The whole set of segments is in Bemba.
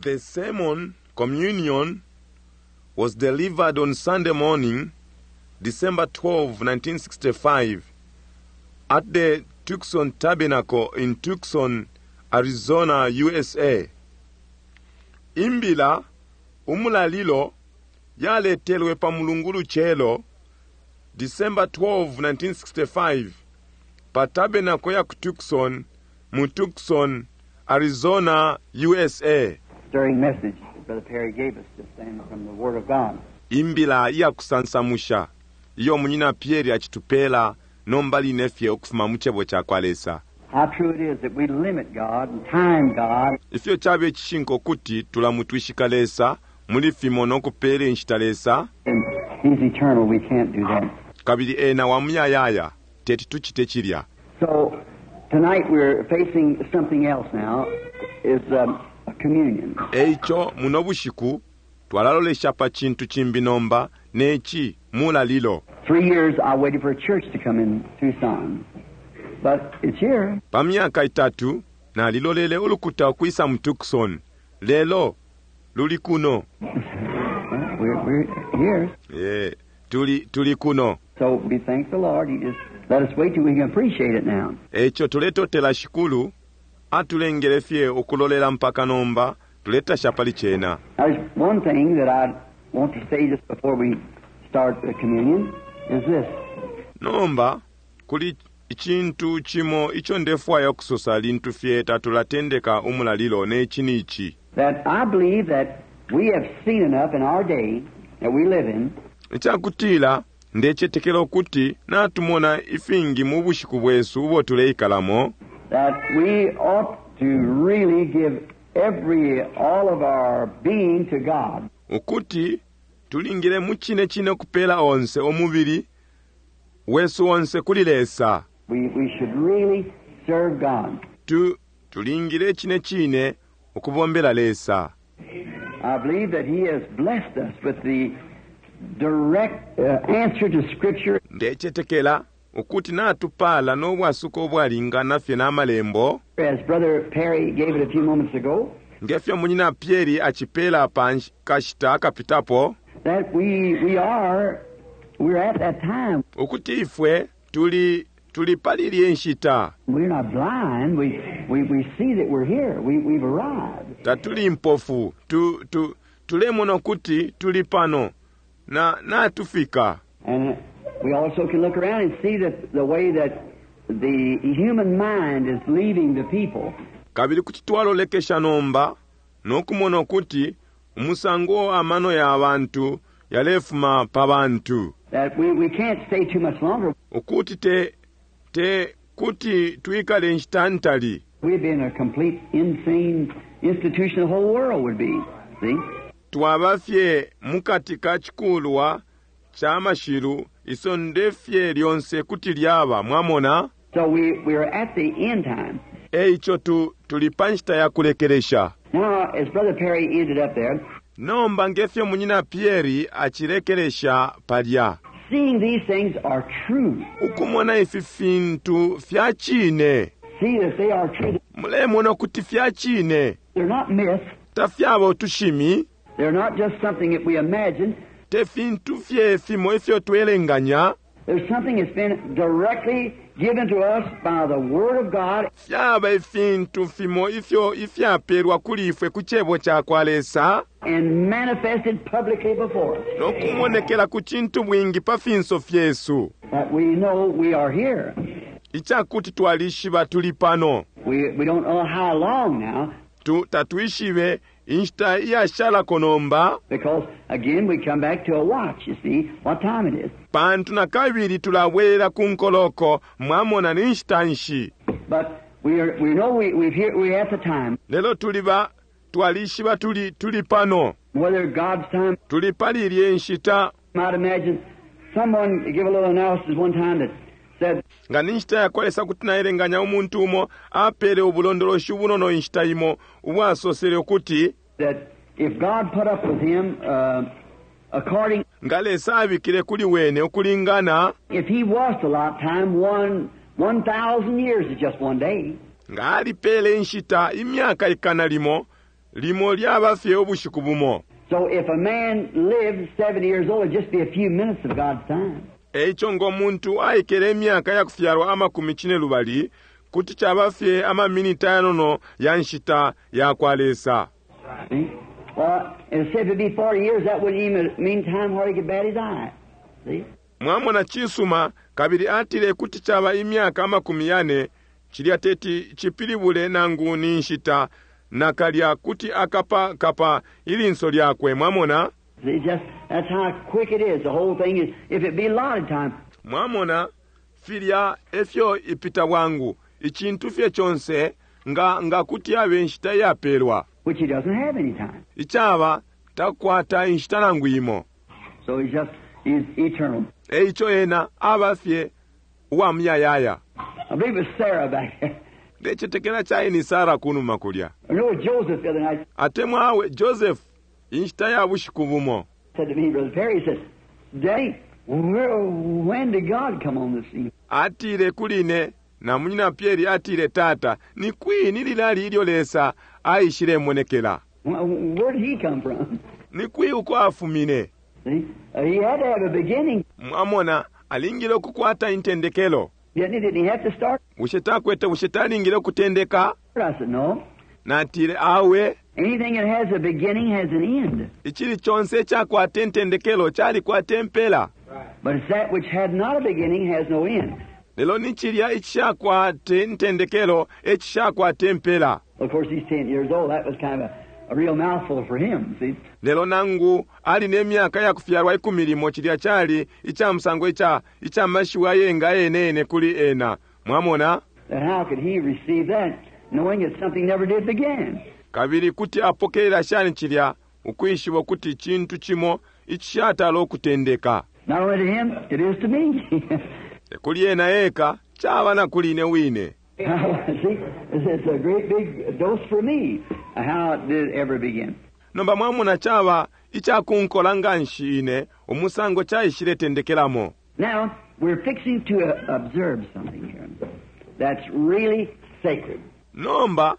The sermon, Communion, was delivered on Sunday morning, December 12, 1965, at the Tucson Tabernacle in Tucson, Arizona, USA. Imbila, umulalilo, yaletelwe pa mulungu lucelo, December 12, 1965, pa tabernacle ya ku Tucson, mu Tucson, Arizona, USA. Stirring message that Brother Perry gave us just then from the Word of God. Imbila iya kusansamusha iyo munyina Pierre acitupela nomba line fye ukufuma mu Cebo ca kwa Lesa. How true it is that we limit God and time God. Ifyo cabe cishinka ukuti tulamutwishika Lesa muli fimo no kupela inshita Lesa. And He's eternal, we can't do that. Kabili Ena wa muyayaya, teti tucite cilya. So tonight we're facing something else now, is a communion. Eico muno bushiku twalalolesha pa cintu cimbi nomba, ne ci mulalilo. 3 years I waited for a church to come in Tucson, but it's here. Pa myaka itatu nalilolele ulukuta ukwisa mu Tucson, lelo luli kuno. We're here. Tuli kuno. So we thank the Lord. He just let us wait till we can appreciate it now. Eico tuletotela Shikulu, atulengele fye ukulolela mpaka nomba, tuletasha pali cena. Now, there's one thing that I want to say just before we start the communion is this. Nomba kuli icintu cimo ico ndefwaya ukusosa lintu fye tatulatendeka umulalilo, ne ci ni ci. That I believe that we have seen enough in our day that we live in. Icakutila ndecetekela ukuti natumona ifingi mu bushiku bwesu ubo tuleikalamo. That we ought to really give all of our being to God. Ukuti tulingile mu cine cine kupela onse umubili wesu onse kuli Lesa. We should really serve God. Tulingile cine cine ukubombela Lesa. I believe that He has blessed us with the direct answer to Scripture. Ndecetekela ukuti natupala no bwasuko ubwalingana fye na malembo. As Brother Perry gave it a few moments ago. Ngefyo munyina Pierre acipela pa kashita akapitapo. That we're at that time. Ukuti ifwe tuli pali ilye nshita. We're not blind. We see that we're here. We've arrived. Tatuli mpofu. Tulemona ukuti tuli pano. Na natufika. And we also can look around and see that the way that the human mind is leaving the people. Kabili kuti twalolekesha nomba no kumona ukuti umusango amano ya bantu yalefuma pa bantu. That we can't stay too much longer. Ukuti te kuti twikale nshita ntali. We'd be in a complete insane institution, the whole world would be. See? Twaba fye mukati ka chikulwa cha mashilu isonde fye lyonse kuti lyaba, mwamona? So we are at the end time. Eico tuli pa nshita ya kulekelesha. Now, as Brother Perry ended up there, Nomba ngefyo munyina Pierre acilekelesha palya. Seeing these things are true. Ukumona ifi fintu fya cine. See that they are true. Mulemona kuti fya cine. They're not myths. Tafyaba utushimi. They're not just something that we imagine. Te fintu fye fimo ifyo twelenganya. There's something that's been directly given to us by the Word of God. Fyaba ifintu fimo ifyo ifyapelwa kuli ifwe ku cebo ca kwa Lesa. And manifested publicly before us. No kumonekela ku cintu bwingi pa finso fyesu. That we know we are here. Icakuti twalishiba tuli pano. We don't know how long now. Tatwishibe inshita iyashalako nomba. Because again we come back to a watch, you see, what time it is. Pantu na kabili tulabwela ku nkoloko, mwamona ni nshita nshi. But we know we've here, we're at the time. Lelo twalishiba tuli pano. Whether God's time. Tuli pali ilye nshita. Might imagine someone give a little analysis one time that said, Nga ni nshita ya kwa Lesa kuti naelenganya umuntu umo apele ubulondoloshi ubunono inshita imo ubwasosele ukuti that if God put up with him, according nga Lesa abikile kuli wene ukulingana, if he was to lot time 1,000 years is just one day. Nga alipele inshita imyaka ikana limo. Limo lyaba fye ubushiku bumo. So if a man lived 70 years old, it'd just be a few minutes of God's time. Eico ngo muntu aikele imyaka yakufyalwa amakumi cine lubali, kuti caba fye ama miniti ayanono ya nshita yakwa Lesa. See? Well, and say if it'd be 40 years, that wouldn't even mean time where he could bat his eye. See? Mwamona, cisuma, kabili atile kuti caba imyaka amakumi yane, cilya teti cipilibule nangu ni nshita nakalya kuti akapa kapa ilinso lyakwe. Mwamona? See, just that's how quick it is. The whole thing is, if it be allotted time. Mwamona, filya efyo ipita bwangu, icintu fye conse, nga, nga kuti yabe nshita iyapelwa. Which he doesn't have any time. Icaba, takwata inshita nangu imo. So he's just, he's eternal. Eico ena aba fye uwa muyayaya. I believe it was Sarah back there. Ndecetekela cali ni Sarah kunuma kulya. I know Joseph the other night. Atemwa awe, Joseph, inshita ya bushiku bumo. Said to me, Brother Perry, he said, Daddy, where, when did God come on the scene? Atile kuli ine, na Munyina Pierre atile, Tata, ni kwi ni lilali ilyo Lesa aishilemonekela? Where did he come from? Ni kwi uko afumine? See? He had to have a beginning. Mwamona, alingile ukukwata intendekelo. Didn't he? Didn't he have to start? Bushe takwete, bushe talingile ukutendeka? I said, no. Natile, awe. Anything that has a beginning has an end. Icili conse icakwata intendekelo calikwata impela. But it's that which had not a beginning has no end. Lelo ni cilya icishakwate intendekelo e cishakwata impela. Of course, he's 10 years old. That was kind of a real mouthful for him, see? Lelo nangu ali ne myaka ya kufyalwa ikumi limo, cilya cali ica musango ica, ica mashiwi ayenga ayene yene kuli ena. Mwamona? Then how could he receive that, knowing that something never did begin? Kabili kuti apokelela shani cilya, ukwishiba ukuti icintu cimo icishatala ukutendeka? Not only to him, it is to me. Te kuli ena eka, caba na kuli ine wine. See, it's a great big dose for me. How did it ever begin? Nomba mwamona caba icakunkola nganshi ine, umusango caishile tendekelamo. Now, we're fixing to observe something here that's really sacred. Nomba,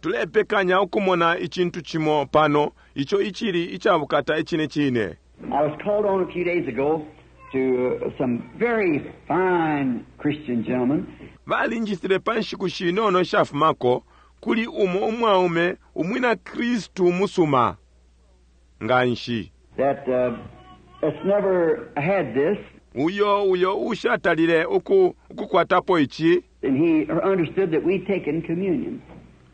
tulepekanya ukumona icintu cimo pano ico icili icabukata icine cine. I was called on a few days ago to some very fine Christian gentlemen. Balinjisile pa nshiku shinono ishafumako kuli umo umwaume umwina Kristu umusuma nganshi. That has never had this. Uyo, uyo ushatalile uku, ukukwatapo ici. And he understood that we'd taken communion,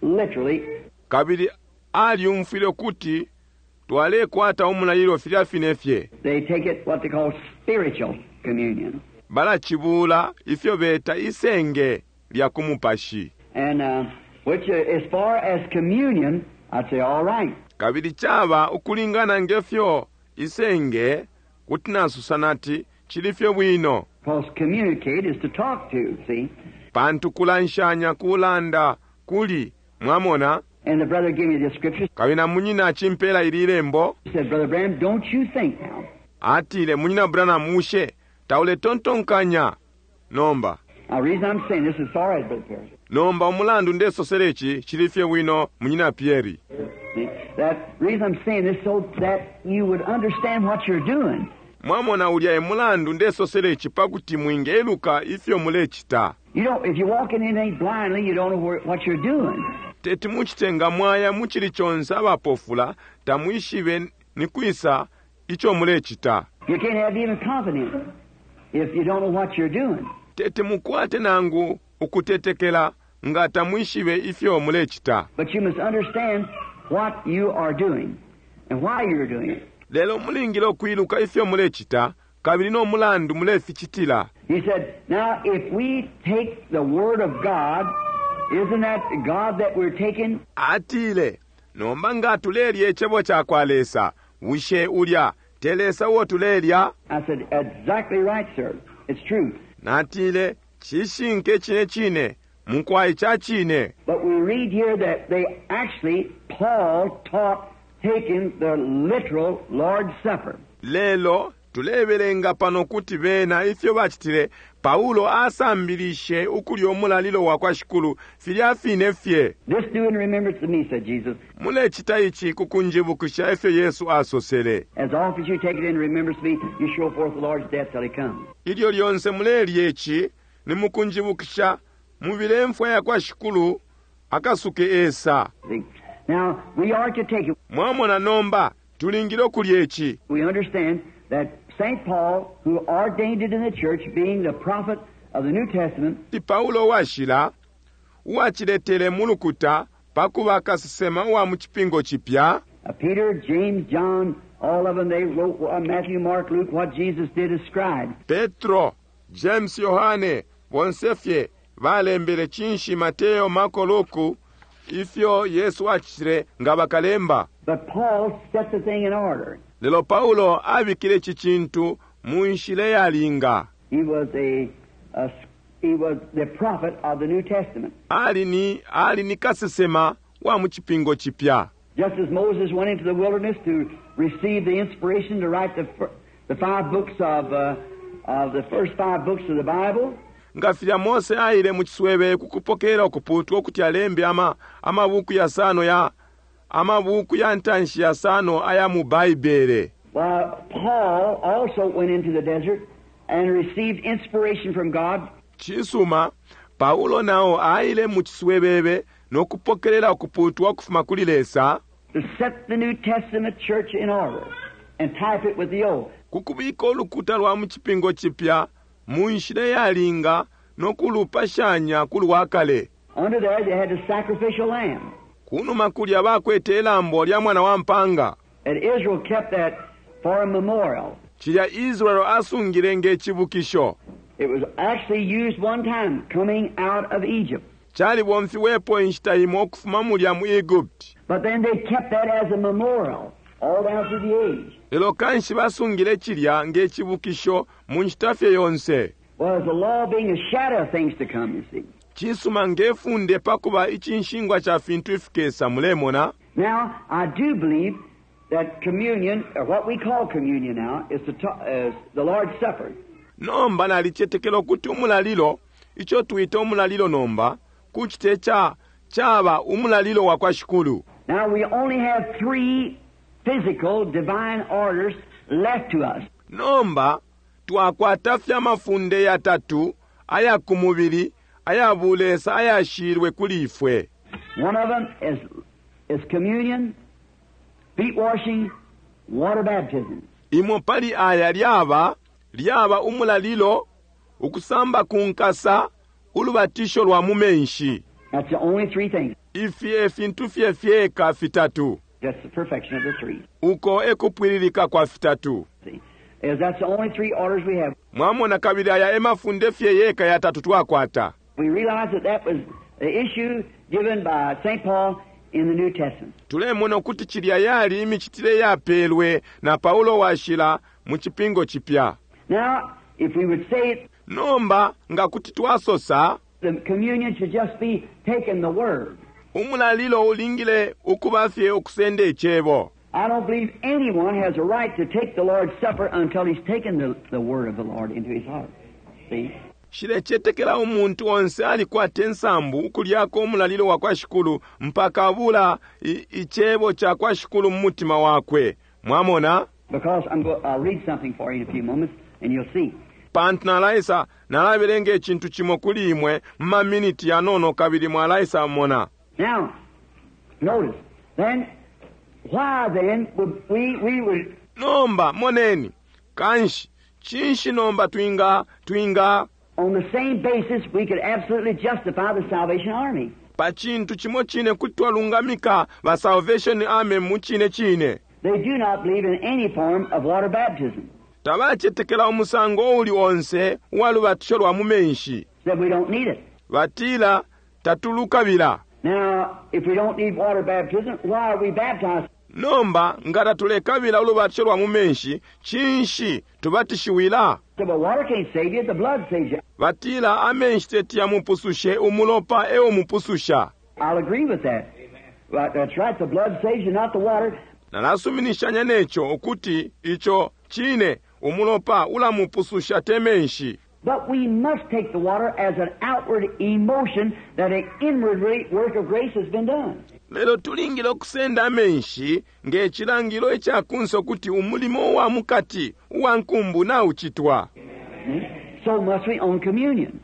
literally. Kabili alyumfwile ukuti twalekwata umulalilo filya fine fye. They take it what they call spiritual communion. Balacibula ifyo beta isenge lya ku mupashi. And which, as far as communion, I'd say all right. Kabili caba ukulingana nge fyo isenge, kuti nasusa nati cili fye bwino. Because communicate is to talk to, see? Pantu kulanshanya kulanda kuli, mwamona. And the brother gave me the scripture. Kabili na munyina acimpela ili lembo. He said, Brother Branham, don't you think now? Atile, Munyina Branham, bushe tauletontonkanya nomba? Now, the reason I'm saying this is all right, Brother Perry. Nomba umulandu ndesosela ici cili fye bwino, Munyina Pierre. See, that reason I'm saying this so that you would understand what you're doing. Mwamona, ulya e mulandu ndesosela ici pakuti mwingeluka ifyo mulecita. You don't, if you walk in anything blindly, you don't know where, what you're doing. Teti mucite nga mwaya mu cili conse abapofula, tamwishibe ni kwisa ico mulecita. You can't have even confidence if you don't know what you're doing. Teti mukwate nangu ukutetekela nga tamwishibe ifyo mulecita. But you must understand what you are doing and why you're doing it. Lelo mulingile ukwiluka ifyo mulecita kabili no mulandu muleficitila. He said, now if we take the Word of God, isn't that God that we're taking? Atile, nomba nga tulelya Icebo cakwa Lesa, bushe ulya te Lesa uo tulelya? I said, exactly right, sir. It's true. Natile, cishinka icine cine, mukwai ca cine. But we read here that they actually, Paul taught taking the literal Lord's Supper. Lelo Tulebelenga pano kuti bena ifyo bacitile, Paulo asambilishe ukulya umulalilo wa kwa Shikulu filya fine fye. This do in remembrance of me, said Jesus. Mulecita ici ku kunjibukisha efyo Yesu asosele. As often as you take it in remembrance of me, you show forth the Lord's death till he comes. Ilyo lyonse mulelya ici, ni mukunjibukisha, mubile imfwa ya kwa Shikulu akasuke esa. See? Now, we are to take it. Mwamona nomba, tulingile ukulya ici. We understand that St. Paul, who ordained it in the church, being the prophet of the New Testament, Ti Paulo washila, uwaciletele mu lukuta pa kuba kasesema uwa mu Cipingo Cipya. Peter, James, John, all of them, they wrote Matthew, Mark, Luke, what Jesus did as scribes. Petro, James, Yohane, bonse fye balembele cinshi Mateo, Marko, Luku, ifyo Yesu acitile nga bakalemba. But Paul set the thing in order. Lelo Paulo abikile ici cintu mu nshila iyalinga. He was a, a he was the prophet of the New Testament. Ali ni, ali ni kasesema wa mu Cipingo Cipya. Just as Moses went into the wilderness to receive the inspiration to write the, the five books of, of the first five books of the Bible, Nga filya Mose aile mu ciswebebe ku kupokela ukuputwa ukuti alembe ama, amabuku yasano ya, amabuku ya ntanshi yasano aya mu Baibele. well, Paul also went into the desert and received inspiration from God Cisuma, Paulo nao aile mu ciswebebe no kupokelela ukuputwa ukufuma kuli Lesa to set the New Testament church in order and type it with the old. ku kubika ulukuta lwa mu Cipingo Cipya mu nshila iyalinga no kulupashanya ku lwa kale. Under there, they had the sacrificial lamb. Kunuma kulya bakwete ilambo lya mwana wa mpanga. And Israel kept that for a memorial. Cilya Israel asungile nge cibukisho. It was actually used one time coming out of Egypt. Calibomfiwepo inshita imo ukufuma mulya mu Egypt. But then they kept that as a memorial all down through the age. Lelo kanshi basungile cilya nge cibukisho mu nshita fye yonse. Well, the law being a shadow of things to come, you see. Cisuma nge funde pakuba icinshingwa ca fintu ifikesa, mulemona. Now, I do believe that communion, or what we call communion now, is the, is the Lord's Supper. Nomba nalicetekela ukuti umulalilo, ico twita umulalilo nomba, kucite ca, caba umulalilo wa kwa Shikulu. Now, we only have three physical divine orders left to us. Nomba, twakwata fye amafunde yatatu aya ku mubili, aya bulesa ayashilwe kuli ifwe. One of them is, is communion, feet washing, water baptism. Imo pali aya lyaba, lyaba umulalilo, ukusamba ku nkasa, ulubatisho lwa mu menshi. That's the only three things. Ifi e fintu fye fyeka fitatu. That's the perfection of the three. Uko e kupwililika kwa fitatu. See? Is that's the only three orders we have. Mwamona kabili aya e mafunde fye yeka yatatu twakwata. We realize that that was the issue given by St. Paul in the New Testament. Tulemona ukuti cilya yali imicitile yapelwe na Paulo washila mu Cipingo Cipya. Now, if we would say it, Nomba nga kuti twasosa, the communion should just be taking the word. umulalilo ulingile ukuba fye ukusenda icebo. I don't believe anyone has a right to take the Lord's Supper until he's taken the, the word of the Lord into his heart. See? Nshilecetekela umuntu onse alikwata insambu ukulyako umulalilo wa kwa Shikulu mpaka abula icebo ca kwa Shikulu mu mutima wakwe. Mwamona? Because I'm go- I'll read something for you in a few moments and you'll see. Pantu nalaisa, nalabelenga icintu cimo kuli imwe mu maminiti yanono kabili mwalaisa mona. Now, notice, then, why then would we, we would Nomba, moneni, kanshi, cinshi nomba twinga, twinga, on the same basis, we could absolutely justify the Salvation Army. pa cintu cimo cine kuti twalungamika ba Salvation Army mu cine cine. They do not believe in any form of water baptism. Tabacetekela umusango uuli onse uwa lubatisho lwa mu menshi. Said we don't need it. Batila tatulukabila. Now, if we don't need water baptism, why are we baptized? Nomba nga tatulekabila ulubatisho lwa mu menshi, cinshi tubatishiwila? Said, well, water can't save you, the blood saves you. Batila amenshi teti yamupusushe, umulopa e umupususha. I'll agree with that. Right, that's right, the blood saves you, not the water. Nalasuminishanya neco ukuti ico cine. Umulopa ulamupususha, te menshi. But we must take the water as an outward emotion that an inward work of grace has been done. Lelo tulingile ukusenda amenshi nge cilangilo ica kunse ukuti umulimo uwa mukati uwa nkumbu naucitwa. So must we on communion.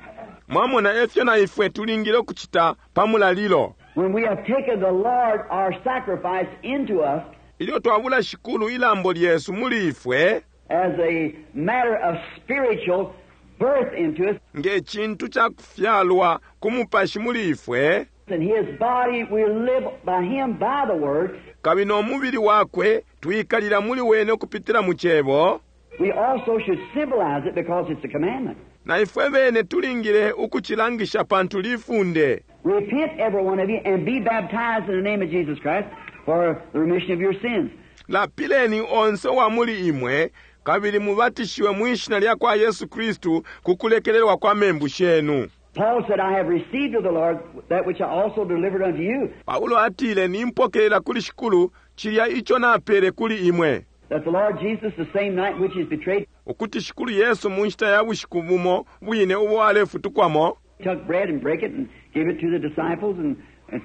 Mwamona efyo na ifwe tulingile ukucita pa mulalilo. When we have taken the Lord our sacrifice into us, Ilyo twabula Shikulu ilambo lyesu muli ifwe, as a matter of spiritual birth into us, nge cintu ca kufyalwa ku mupashi muli ifwe, in His body we live by Him by the Word, kabili no mubili wakwe twikalila muli wene ukupitila mu cebo, we also should symbolize it because it's a commandment. na ifwe bene tulingile ukucilangisha pantu lifunde. Repent, every one of you, and be baptized in the name of Jesus Christ for the remission of your sins. Lapileni onse wa muli imwe kabili mubatishiwe mwi shina lya kwa Yesu Kristu ku kulekelelwa kwa membu shenu. Paul said, I have received of the Lord that which I also delivered unto you, Paulo atile, nimpokelela kuli Shikulu cilya ico napele kuli imwe, that the Lord Jesus, the same night in which he was betrayed, ukuti Shikulu Yesu mu nshita ya bushiku bumo bwine ubo alefutukwamo, took bread and brake it and gave it to the disciples and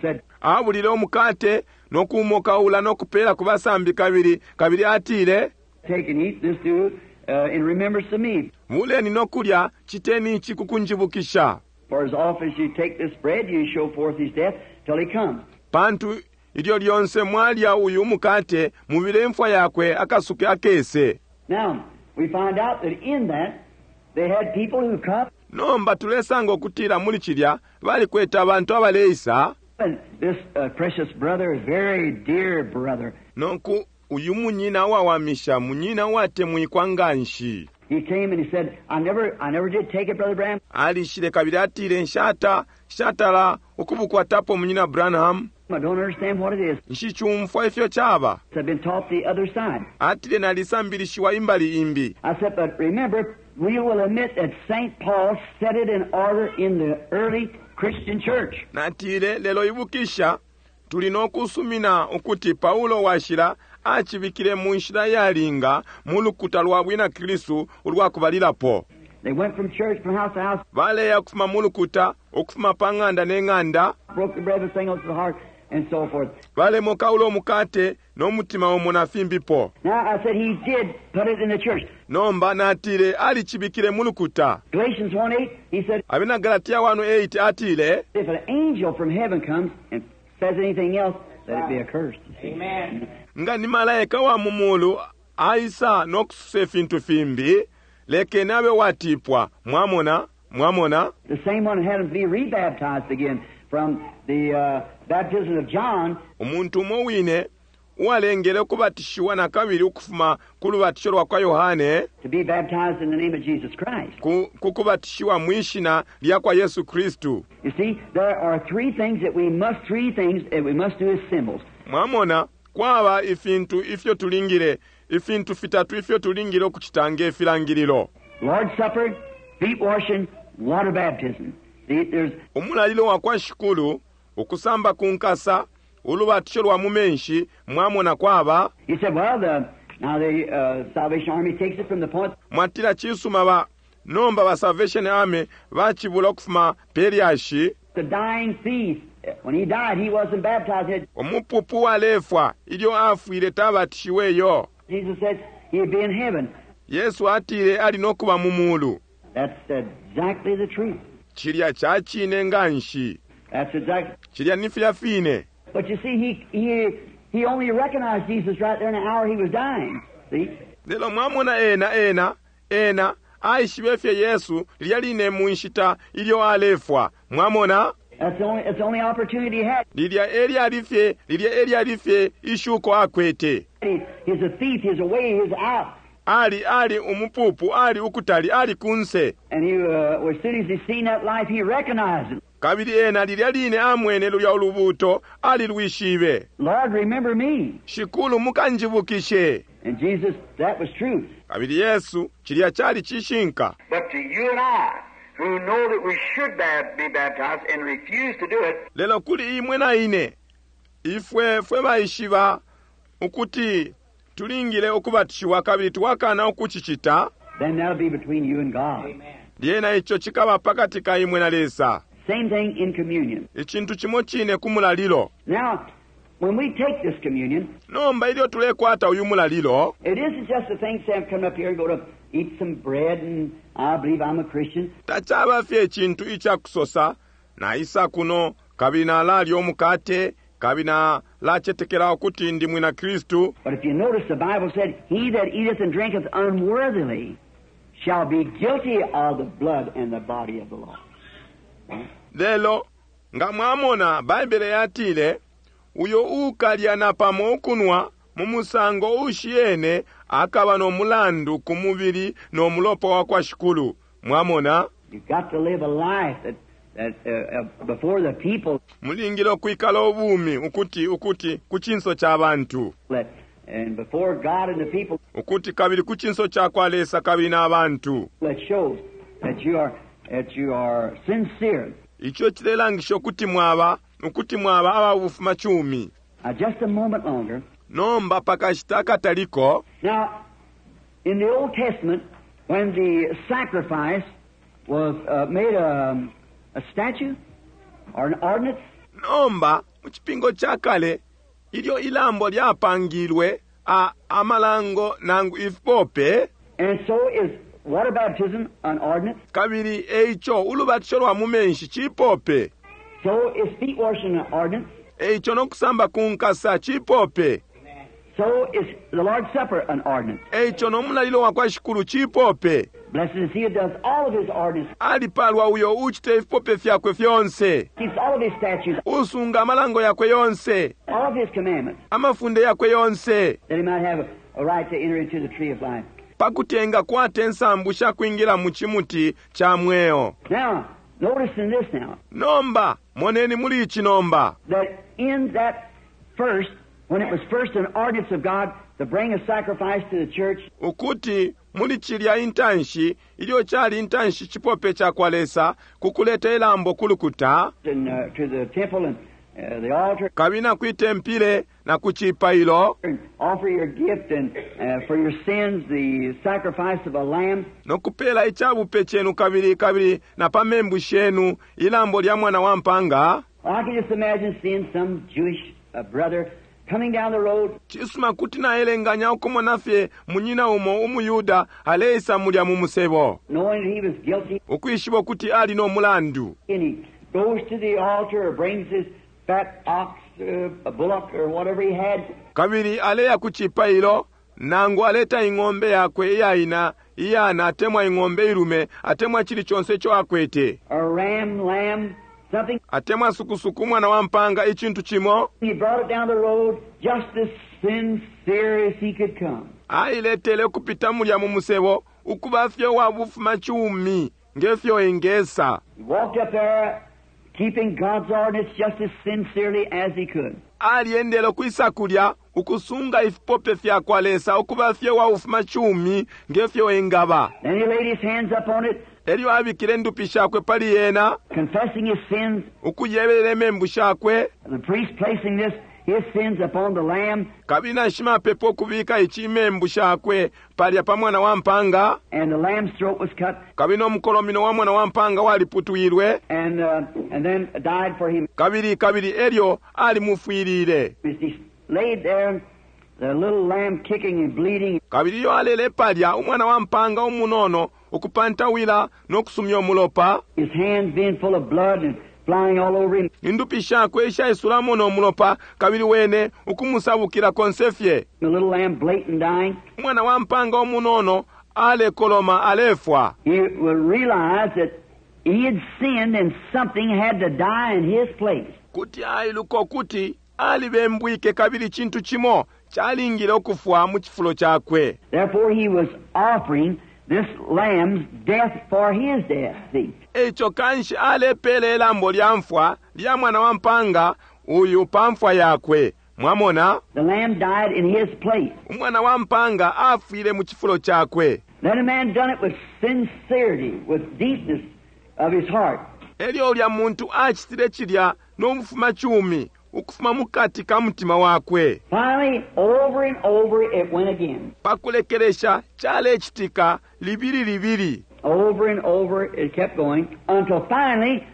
said, abulile umukate no kuumokaula no kupela ku basambi kabili, kabili atile, Take and eat this do in remembrance of me. Buleni no kulya, citeni ici ku kunjibukisha. For as often as you take this bread, you show forth his death till he comes. Pantu ilyo lyonse mwalya uyu umukate, mubile imfwa yakwe akasuke akese. Now, we find out that in that, they had people who come, Nomba tulesanga ukutila muli cilya balikwete abantu abaleisa. and this precious brother, very dear brother, Nonku uyu munyina uwawamisha, munyina uwatemwikwa nganshi. he came and he said, I never did take it, Brother Branham. Alishile kabili atile, nshata, nshatala ukubukwatapo munyina Branham. I don't understand what it is. Nshicumfwa ifyo caba. I've been taught the other side. Atile nalisambilishiwa imbali imbi. I said, but remember, we will admit that St. Paul set it in order in the early Christian church. Natile, lelo ibukisha, tuli no kusumina ukuti Paulo washila acibikile mu nshila yalinga mu lukuta lwa bwina Kristu ulwa kubalilapo. They went from church, from house to house, Baleya ukufuma mu lukuta, ukufuma pa ng'anda ne ng'anda, broke the bread with singles to the heart, and so forth. balemokaula umukate no mutima umo na fimbipo. Now, I said he did put it in the church. Nomba natile alicibikile mu lukuta. Galatians 1:8, he said, Abena Galatia 1:8 atile, if an angel from heaven comes and says anything else, let it be accursed. Amen. nga ni malaika wa mu mulu aisa no kususa ifintu fimbi, lekeni abe watipwa. Mwamona, mwamona. The same one had him be rebaptized again from the baptism of John. Umuntu umo wine uwalengele ukubatishiwa na kabili ukufuma ku lubatisho lwa kwa Yohane, To be baptized in the name of Jesus Christ. ku kubatishiwa mwi shina lya kwa Yesu Kristu. You see, there are three things that we must, three things that we must do as symbols. Mwamona, kwaba ifintu ifyo tulingile, ifintu fitatu ifyo tulingile ukucita nge filangililo. Lord's Supper, feet washing, water baptism. See, there's Umulalilo wa kwa Shikulu, ukusamba ku nkasa, ulubatisho lwa mu menshi, mwamona kwaba. You said, well, the, now the Salvation Army takes it from the point. Mwatila cisuma ba, nomba ba Salvation Army bacibula ukufuma pelyashi. The dying thief, when he died, he wasn't baptized. Umupupu walefwa ilyo afwile tabatishiweyo. Jesus said he'd be in heaven. Yesu atile ali no kuba mu mulu. That's exactly the truth. Cilya ca cine nganshi. That's exactly. Cilya ni filya fine. But you see, he only recognized Jesus right there in the hour he was dying. See? Lelo mwamona ena, ena, ena, aishibe fye Yesu lilya line mu nshita ilyo alefwa. Mwamona? That's the only opportunity he had. Lilya elyali fye, lilya elyali fye ishuko akwete. He's a thief, he's away, he's out. Ali, ali umupupu, ali ukutali, ali kunse. And as soon as he seen that life, he recognized it. Kabili ena lilya line amwene lulya ulubuto, ali lwishibe. Lord, remember me. Shikulu mukanjibukishe. And Jesus, that was true. Kabili Yesu, cilya cali cishinka. But to you and I, who know that we should be baptized and refuse to do it. Lelo kuli imwe na ine, ifwe fwe baishiba ukuti Tulingile ukubatishiwa kabili twakana ukucicita, then that'll be between you and God. Lyena ico cikaba pakati ka imwe na Lesa. Same thing in communion. Icintu cimo cine ku mulalilo. Now, when we take this communion, Nomba ilyo tulekwata uyu mulalilo, it isn't just a thing, say, I'm coming up here and go to eat some bread and I believe I'm a Christian. Tacaba fye icintu icakusosa, naisa kuno kabili nalalya umukate kabili nalacetekela ukuti ndi mwina Kristu. But if you notice, the Bible said, "He that eateth and drinketh unworthily shall be guilty of the blood and the body of the Lord." Lelo nga mwamona, Baibele yatile, uyo ukalya napamo ukunwa mu musango ushiyene akaba no mulandu ku mubili no mulopa wa kwa Shikulu. Mwamona? You've got to live a life that before the people. Mulingile ukwikala ubumi ukuti ukuti ku cinso ca bantu. That, and before God and the people. Ukuti kabili ku cinso ca kwa Lesa kabili na bantu. That shows that you are sincere. Ico cilelangisha ukuti mwaba aba bufumacumi. Now, just a moment longer. Nomba pakashita akataliko. Now, in the Old Testament, when the sacrifice was made a statute or an ordinance, Nomba mu Cipingo ca Kale ilyo ilambo lyapangilwe a amalango nangu ifipope, and so is water baptism an ordinance. Kabili eico ulubatisho lwa mu menshi cipope. So is feet washing an ordinance. Eico no kusamba ku nkasa cipope. So is the Lord's Supper an ordinance. Eico no mulalilo wa kwa Shikulu cipope. Blessed is he who does all of his ordinance, Alipalwa uyo ucita ifipope fyakwe fyonse, keeps all of his statutes, usunga amalango yakwe yonse, all of his commandments, amafunde yakwe yonse, that he might have a right to enter into the tree of life. Pakuti engakwata insambu sha kwingila mu cimuti ca mweo. Now, notice in this now, Nomba moneni muli ici nomba, that in that first, when it was first an ordinance of God to bring a sacrifice to the church, ukuti muli cilya intanshi ilyo cali intanshi cipope ca kwa Lesa ku kuleta ilambo ku lukuta, and to the temple and the altar, kabili na kwi tempile na ku cipailo, and offer your gift and for your sins the sacrifice of a lamb. No kupeela icabupe cenu kabili kabili na pa membu shenu ilambo lya mwana wa mpanga. I can just imagine seeing some Jewish brother coming down the road, Cisuma, kuti naelenganya ukumona fye munyina umo umuYuda aleisa mulya mu musebo, knowing that he was guilty, ukwishiba ukuti ali no mulandu, and he goes to the altar or brings his fat ox, a bullock, or whatever he had, kabili aleya ku cipailo nangu aleta ing'ombe yakwe iyaina iyana atemwa ing'ombe ilume atemwa chili chonse ico akwete, a ram, lamb, something. Atemwa sukusuku umwana wa mpanga icintu cimo. He brought it down the road just as sincere as he could come. Ailetele ukupita mulya mu musebo ukuba fye wa bufumacumi ngefyo engesa. He walked up there keeping God's ordinance just as sincerely as he could. Aliendele ukwisa kulya ukusunga ifipope fya kwa Lesa ukuba fye wa bufumacumi ngefyo engaba. Then he laid his hands up on it, Elyo abikile indupi shakwe pali yena, confessing his sins. Ukuyebelela imembu shakwe. The priest placing this his sins upon the lamb, Kabili na shimapepo ukubika ici imembu shakwe palya pa mwana wa mpanga, and the lamb's throat was cut, kabili n'omukolomino wa mwana wa mpanga waliputwilwe, and then died for him. Kabili elyo alimufwilile. As he laid there, the little lamb kicking and bleeding, Kabili iyo alele palya umwana wa mpanga umunono ukupantawila n'okusumya umulopa, his hands being full of blood and flying all over him, indupi shakwe ishaisulamo n'omulopa kabili wene ukumusabukila konse fye, the little lamb bleating, dying. Umwana wa mpanga umunono alekoloma alefwa. He would realize that he had sinned and something had to die in his place. Kuti ailuka ukuti alibembwike kabili cintu cimo calingile ukufwa mu cifulo cakwe. Therefore, he was offering this lamb's death for his death. See? Eico kanshi alepele ilambo lya mfwa lya mwana wa mpanga uyu pa mfwa yakwe. Mwamona? The lamb died in his place. Umwana wa mpanga afwile mu cifulo cakwe. Then a man done it with sincerity, with deepness of his heart. Elyo ulya muntu acitile cilya n'obufumacumi. ukufuma mukati ka mutima wakwe. Finally, over and over it went again. Pakulekelesha calecitika libili libili. Over and over it kept going until finally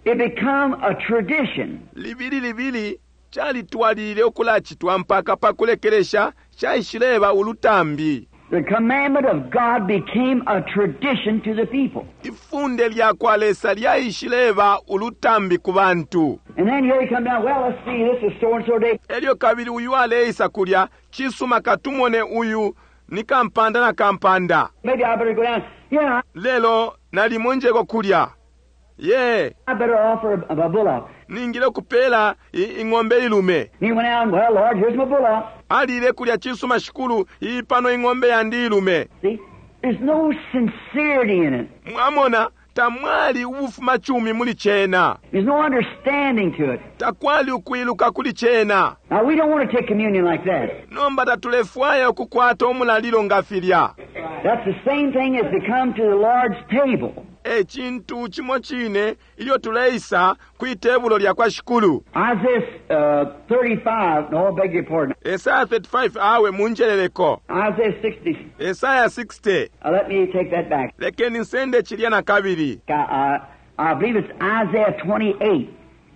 it become a tradition. Libili libili calitwalilile ukulacitwa mpaka pakulekelesha caishileba ulutambi. The commandment of God became a tradition to the people. Ifunde lyakwa Lesa lyaishileba ulutambi ku bantu. And then here he come down, well, let's see, this is so and so day. Elyo kabili uyu aleisa kulya, cisuma katumone uyu ni kampanda na kampanda. Maybe I better go down. Yeah, Lelo nalimo njeko kulya. Ye, I better offer a bullock. ningile kupela ing'ombe ilume. And he went out, well, Lord, here's my bullock. Alile kulya cisuma shikulu, iyi pano ing'ombe yandi ilume. See, there's no sincerity in it. Mwamona, tamwali ubufuma chumi muli cena. There's no understanding to it. Takwali ukwiluka kuli cena. Now, we don't want to take communion like that. Nomba tatulefwaya ukukwata umulalilo nga filya. That's the same thing as to come to the Lord's table. E cintu cimo cine ilyo tuleisa kwi tebulo lya kwa shikulu. Isaiah 35, no, I beg your pardon. Esaya 35 awe munjeleleko. Isaiah 60, Esaya 60. let me take that back. Lekeni nsende chilya na kabili. I believe it's Isaiah 28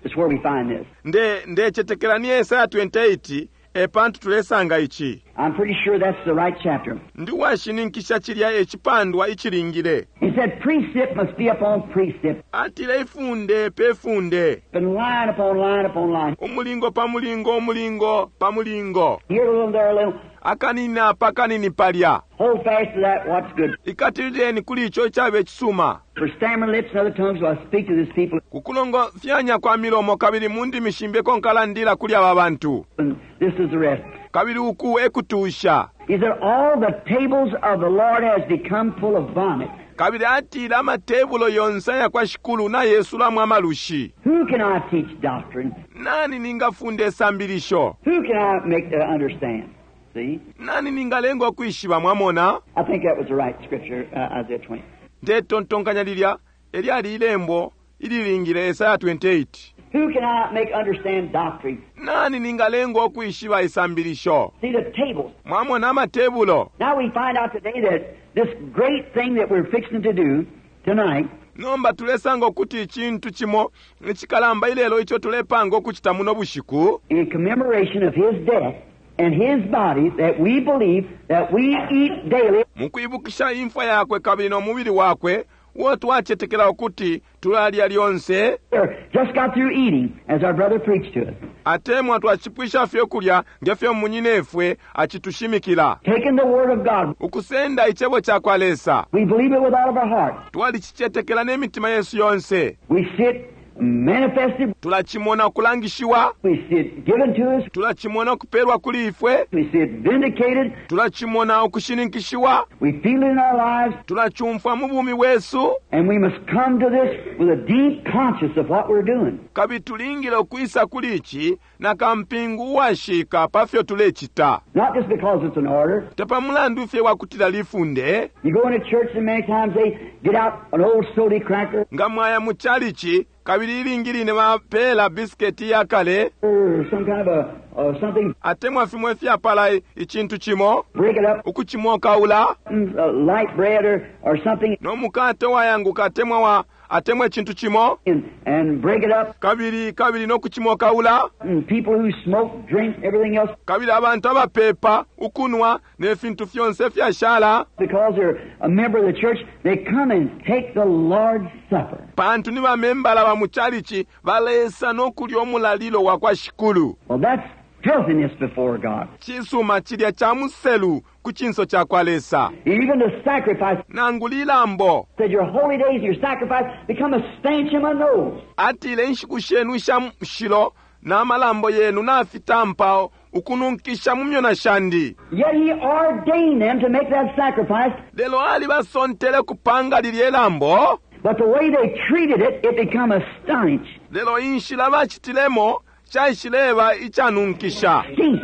is where we find this. Nde ndecetekela ni Esaya 28 e pantu tulesanga ici. I'm pretty sure that's the right chapter. Ndi washininkisha chilya ecipandwa icilingile. He said precept must be upon precept, Atile ifunde pe funde. and line upon line upon line. Umulingo pa mulingo, umulingo pa mulingo. Here a little, there a little. Akanini apa, akanini palya. Hold fast to that what's good. Ikatilileni kuli ico icabe cisuma. For stammering lips and other tongues will I speak to this people, Kukulongofyanya kwa milomo kabili mu ndimi shimbi eko nkalandila kuli aba bantu. and this is the rest. Kabili uku ekutusha. He said, all the tables of the Lord has become full of vomit. Kabili atile amatebulo yonse aya kwa shikulu na yesulamo amalushi. Who can I teach doctrine? Nani ningafunda isambilisho? Who can I make to understand? See? Nani ningalenga ukwishiba mwamona? I think that was the right scripture, Isaiah 20. Ndetontonkanya lilya elyali ilembo ililingile Esaya 28. Who can I make understand doctrine? Nani ningalenga ukwishiba isambilisho? See the tables. Mwamona amatebulo. Now we find out today that this great thing that we're fixing to do tonight Nomba tulesanga ukuti icintu cimo icikalamba ilelo ico tulepanga ukucita muno bushiku in commemoration of his death and his body that we believe that we eat daily mukwibukisha imfwa yakwe kabili no mubili wakwe uo twacetekela ukuti tulalya lyonse or just got through eating as our brother preached to us. atemwa twacipwisha fye kulya ngefyo munyinefwe acitushimikila. Taking the word of God, Ukusenda icebo ca kwa Lesa. we believe it with all of our heart. Twalicicetekela ne mitima yesu yonse. We see it manifested. Tulacimona ukulangishiwa. We see it given to us. Tulacimona ukupelwa kuli ifwe. We see it vindicated. Tulacimona ukushininkishiwa. We feel it in our lives. Tulacumfwa mu bumi bwesu. And we must come to this with a deep conscience of what we're doing. Kabili tulingile ukwisa kuli ici na kampingu uwashika pa fyo tulecita. Not just because it's an order. Te pa mulandu fye wa kutila lifunde. You go into church and many times they get out an old soda cracker Nga mwaya mu chalichi, kabili ilingi line bapela bisiketi ya kale, or some kind of a something, atemwa fimwe fyapala icintu cimo, break it up, ukucimokaula, light bread or something, no mukate wayanguka atemwa wa atemwa icintu cimo, and break it up. kabili kabili no kucimokaula, And people who smoke, drink, everything else, kabili abantu abapepa ukunwa ne fintu fyonse fyashala, because they're a member of the church, they come and take the Lord's Supper. pantu ni bamembala ba mu chalichi balesa no kulya umulalilo wa kwa shikulu. Well, that's filthiness before God. Cisuma cilya ca muselu ku cinso ca kwa Lesa. Even the sacrifice Nangu lilambo. said your holy days and your sacrifice become a stench in my nose. Atile inshiku shenu isha mushilo na malambo yenu nafitampa ukununkisha mu myona shandi. Yet he ordained them to make that sacrifice, Lelo ali basontele kupanga lilye lambo. but the way they treated it, it become a stench. Lelo inshila bacitilemo caishileba icanunkisha. Stink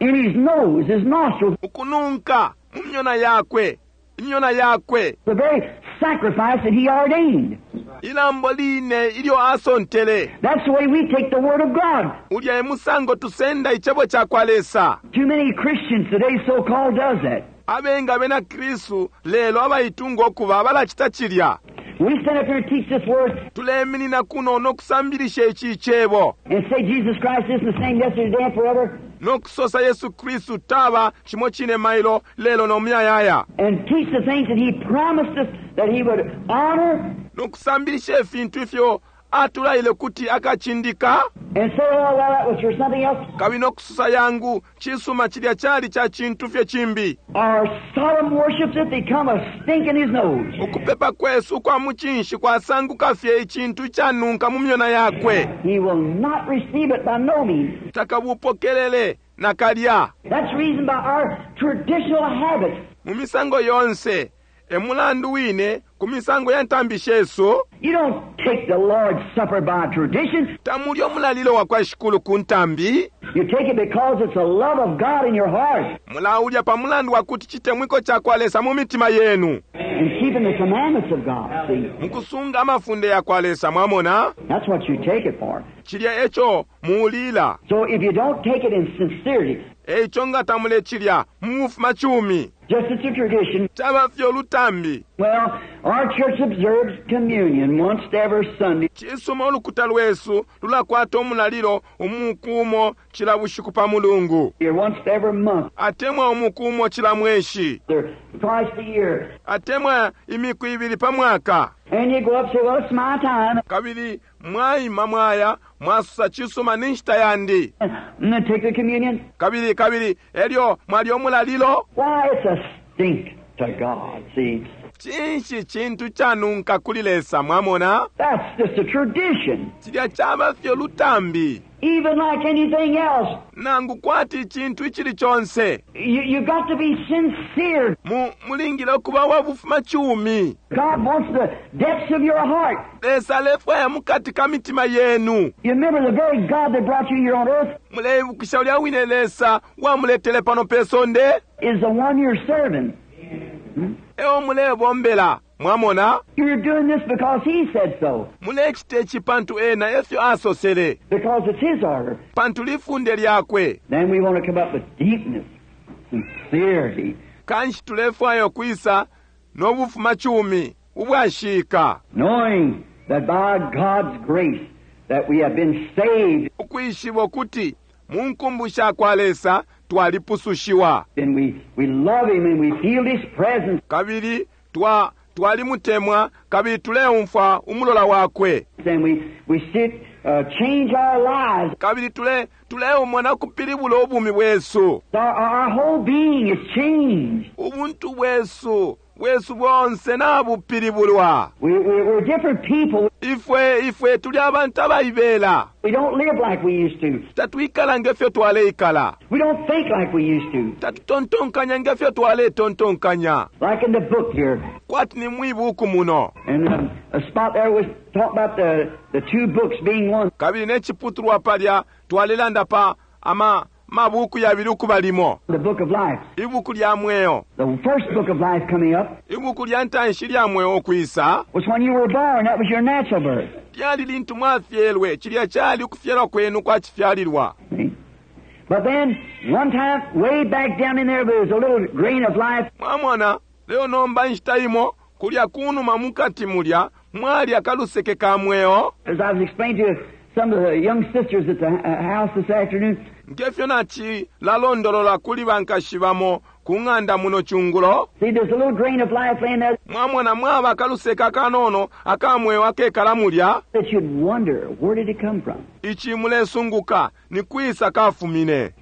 in his nose, his nostrils. Ukununka mu myona yakwe, imyona yakwe. The very sacrifice that He ordained. Ilambo line ilyo asontele. That's the way we take the Word of God. Ulya e musango tusenda icebo ca kwa Lesa. Too many Christians today so called does that. Abengi abena Kristu lelo abaitunga ukuba balacita cilya. We stand up here and teach this Word Tuleminina kuno no kusambilisha ici icebo and say Jesus Christ isn't the same yesterday, today, and forever, no kusosa Yesu Kristu taba cimo cine mailo lelo no muyayaya and teach the things that He promised us that He would honor, no kusambilisha ifintu ifyo atulaile kuti akacindika and say, oh, well, that was for something else. kabili no kusosa yangu cisuma cilya cali ca cintu fye cimbi. Our solemn worships it become a stink in His nose. Ukupepa kwesu ukwa mucinshi kwasanguka fye icintu icanunka mu myona yakwe. He will not receive it by no means. Takabupokelele nakalya. That's reason by our traditional habits. Mu misango yonse e mulandu wine ku misango ya ntambi shesu. You don't take the Lord's Supper by tradition. Tamulya umulalilo wa kwa Shikulu ku ntambi. You take it because it's the love of God in your heart Mulaulya pa mulandu wa kuti citemwiko ca kwa Lesa mu mitima yenu. and keeping the commandments of God. See, Mukusunga amafunde ya kwa Lesa, mwamona? that's what you take it for. Cilya eco muulila. So if you don't take it in sincerity, Eico nga tamulecilya mu bufumacumi. just it's a tradition. Caba fye ulutambi. Well, our church observes communion once every Sunday. Cisuma ulukuta lwesu lulakwata umulalilo umuku umo cila bushiku pa mulungu. Or once every month, Atemwa umuku umo cila mweshi. or twice a year. Atemwa imiku ibili pa mwaka. And you go up and say, well, it's my time. Kabili mwaima mwaya mwasosa cisuma ni nshita yandi. And then take the communion. Kabili kabili elyo mwalya umulalilo. Why, it's a stink to God, see. Cinshi cintu canunka kuli Lesa, mwamona? That's just a tradition. Cilya caba fye lutambi. Even like anything else, Nangu kwati icintu icili conse. you got to be sincere. Mu, mulingile ukuba wa bufumacumi. God wants the depths of your heart. Lesa alefwaya mukati ka mitima yenu. You remember the very God that brought you here on earth Muleibukisha ulya wine Lesa wamuletele pano pe sonde? is the one you're serving. Eo mulebombela, mwamona? You're doing this because He said so, Mulecita ici pantu ena efyo asosele, because it's His order. pantu lifunde lyakwe. Then we want to come up with deepness, sincerity, Kanshi tulefwaya ukwisa no bufumacumi ubwashika, knowing that by God's grace that we have been saved ukwishiba ukuti mu nkumbu sha kwa Lesa twalipusushiwa. and we love Him and we feel His presence Kabili twa twalimutemwa kabili tuleumfwa umulola wakwe. and we sit, change our lives. Kabili tule tuleumona kupilibula ubumi bwesu. Our whole being is changed. Ubuntu bwesu bwesu bonse nabupilibulwa. We're different people. Ifwe ifwe tuli abantu abaibela. We don't live like we used to. Tatwikala ngefyo twaleikala. We don't think like we used to. Tatutontonkanya ngefyo twaletontonkanya. Like in the book here. Kwati ni mwibuku muno. And a spot there was talking about the two books being one. Kabili neciputulwa palya twalelanda pa ama mabuku yabili ukuba limo. The book of life. Ibuku lya mweo. The first book of life coming up Ibuku lya ntanshi lya mweo ukwisa was when you were born. That was your natural birth. lyali lintu mwafyelwe, cilya cali ukufyalwa kwenu kwa cifyalilwa. See? But then, one time, way back down in there, there was a little grain of life. Mwamona, leo nomba inshita imo, kulya kunuma mukati mulya, mwali akaluseke ka mweo. As I was explaining to some of the young sisters at the house this afternoon. Ngefyo nacilalondolola kuli bankashi bamo ku ng'anda muno cungulo. See, there's a little grain of life laying there Mwamona mwaba akaluseke akanono aka mweo akekala mulya. that you'd wonder, where did it come from? Ici mulesunguka ni kwisa kafumine.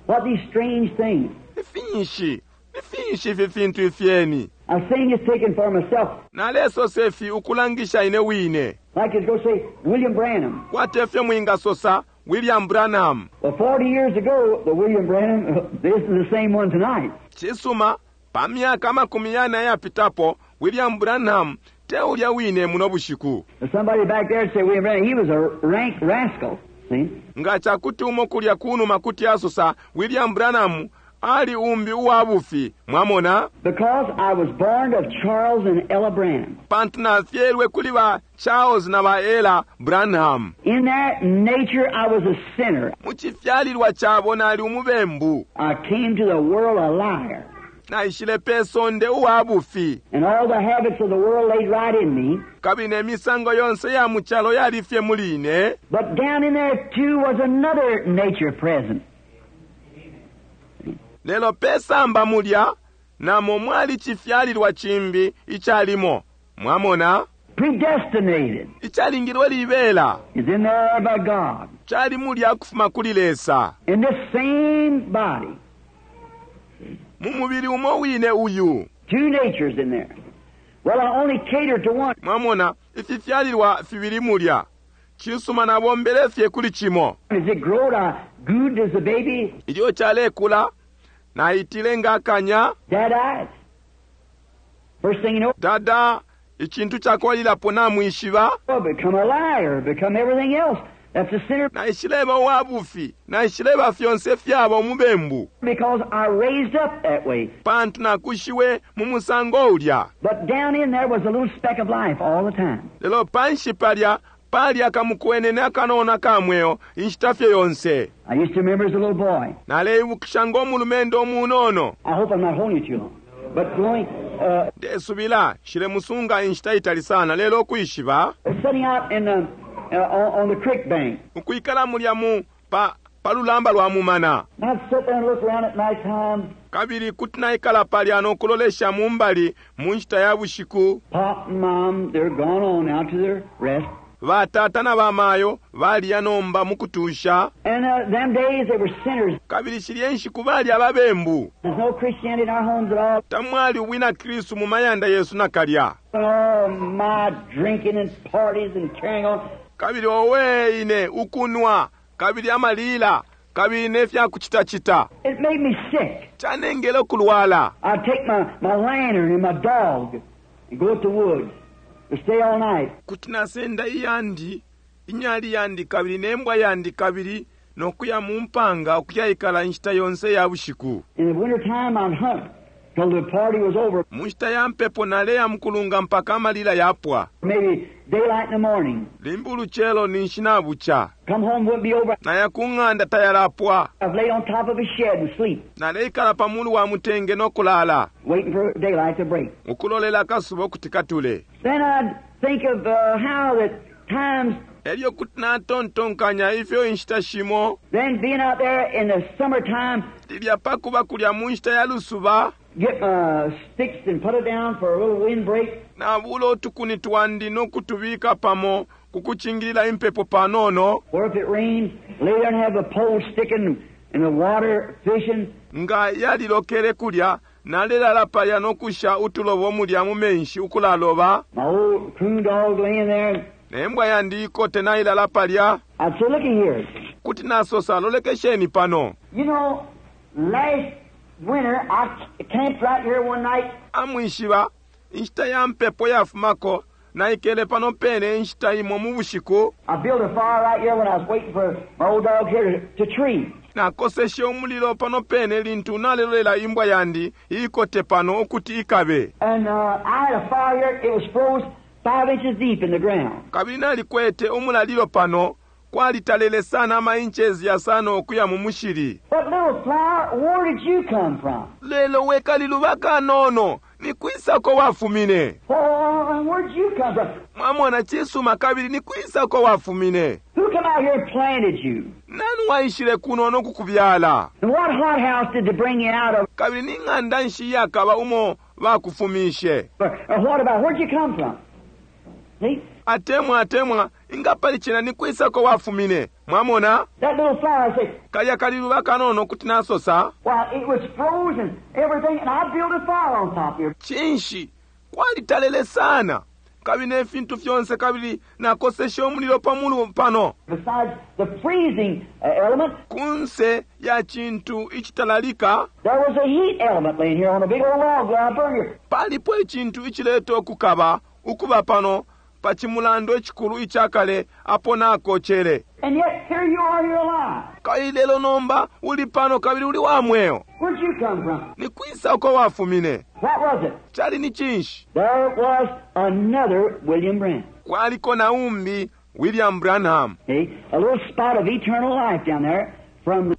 What these strange things? Ifinshi, ifinshi ifi fintu ifyeni. I was saying it's taken for myself. Nalesosa ifi ukulangisha ine wine. Like it's going to say, William Branham. Kwati efyo mwingasosa William Branham. Well, 40 years ago, the William Branham, this is the same one tonight. Cisuma, pa myaka makumi yane ayapitapo, William Branham te ulya wine muno bushiku. Somebody back there say William Branham, he was a rank rascal. See? Nga chakuti umo kulya kunuma kuti asosa William Branham Ali umbi uwa bufi, mwamona? Because I was born of Charles and Ella Branham. Pantu nafyelwe kuli ba Charles na ba Ella Branham. In that nature, I was a sinner. Mu cifyalilwa cabo nali umubembu. I came to the world a liar. Naishile pe sonde uwa bufi. And all the habits of the world laid right in me. Kabili ne misango yonse ya mu calo yali fye muli ine. But down in there, too, was another nature present. Lelo pe samba mulya, namo mwali cifyalilwa cimbi icalimo. Mwamona? Predestinated. Icalingilwe libela. Is in there by God. Cali mulya kufuma kuli Lesa. In this same body. Mu mubili umo wine uyu. Two natures in there. Well, I only catered to one. Mwamona, ififyalilwa fibili mulya. Cisuma nabombele fye kuli cimo. As it growed, I gooed as a baby. Ilyo calekula, naitile nga akanya. Dad died. First thing you know, Dada, icintu cakubalilapo namwishiba. I become a liar, become everything else. That's a sinner. Naishileba uwa bufi, naishileba fyonse fyaba umubembu. Because I raised up that way. Pantu nakushiwe mu musango ulya. But down in there was a little speck of life all the time. Lelo panshi palya, pali akamukwenene akanono aka mweo inshita fye yonse. I used to remember as a little boy. Naleibukisha ngo mulumendo umunono. I hope I'm not holding you too long. But going, Ndesubila nshilemusunga inshita itali sana, lelo ukwishiba. sitting out in the, on the creek bank. Ukwikala mulya mu pa, pa lulamba lwa mumana. And I'd sit there and look around at night time. Kabili kuti naikala palya no kulolesha mu mbali mu nshita ya bushiku. Pop and Mom, they're gone on out to their rest. Batata na bamayo baliya nomba mu kutusha. And them days they were sinners. Kabili shilye nshiku bali ababembu. There's no Christianity in our homes at all. Tamwali ubwina Kristu mu mayanda yesu nakalya. Oh, my drinking and parties and carrying on. Kabili owe ine ukunwa, kabili amalila, kabili ne fya kucitacita. It made me sick. Canengele ukulwala. I'd take my lantern and my dog and go to the woods to stay all night. Kuti nasenda iyandi, inyali yandi kabili nembwa yandi kabili nokuya mu mpanga ukuyaikala inshita yonse ya bushiku. In the winter time I'd hunt till the party was over. Mu nshita ya mpepo naleya mukulunga mpaka amalila yapwa. Maybe daylight in the morning. Limbi ulucelo ninshi nabuca. Come home wouldn't be over. Naya ku ng'anda tayalapwa. I've laid on top of a shed and sleep, Naleikala pa mulu wa mutenge nokulala. waiting for daylight to break. Ukulolela akasuba ukuti katule. Then I'd think of how that times, Elyo kuti natontonkanya ifyo inshita shimo. then being out there in the summertime, Lilya pakuba kulya mu nshita ya lusuba. get my sticks and put it down for a little windbreak. Nabula utukuni twandi nokutubika pamo kukucingilila impepo panono. Or if it rained, lay there and have the pole sticking in the water fishing. Nga yalilokele kulya, nalelala palya nokusha utulobo mulya mu menshi ukulaloba. My old coon dog laying there. Nembwa yandi ikote nailala palya. I'd say, looky here. Kuti nasosa, lolekesheni pano. You know, last winter I camped right here one night. Amwishiba, inshita ya mpepo yafumako, naikele pano pene inshita imo mu bushiku. I built a fire right here when I was waiting for my old dog here to tree. Nakoseshe umulilo pano pene lintu nalelolela imbwa yandi ikote pano ukuti ikabe. And I had a fire here. It was froze 5 inches deep in the ground. Kabili nalikwete umulalilo pano, kwalitalele sana ama inches yasano okuya mu mushili. But little flower, where did you come from? Lelo wekaliluba kanono, ni kwisako wafumine. Oh, where'd you come from? Mwamona cisuma kabili ni kwisako wafumine. Who come out here and planted you? Nani waishile kuno nokukubyala? And what hothouse did they bring you out of? Kabili ni ng'anda nshi iyakaba umo bakufumishe? Or what about, where'd you come from? See? Atemwa, atemwa, ingapali cena ni kwisako wafumine. Mwamona? That little flower said, Kalya kaliluba kanono kuti nasosa. well, it was frozen, everything, and I built a fire on top here. Cinshi, kwalitalele sana. Kabili ne fintu fyonse kabili nakoseshe umulilo pa mulu pano. Besides the freezing element, Kunse ya cintu icitalalika, there was a heat element laying here on a big old log that I burned here. palipo icintu icileta ukukaba, ukuba pano, pa cimulando icikulu icakale apo nakocele. And yet here you are, you're alive. Kabili lelo nomba uli pano kabili uli wa mweo. Where'd you come from? Ni kwisa uko wafumine? What was it? Cali ni cinshi? There was another William Branham. Kwaliko na umbi William Branham. See? A little spot of eternal life down there from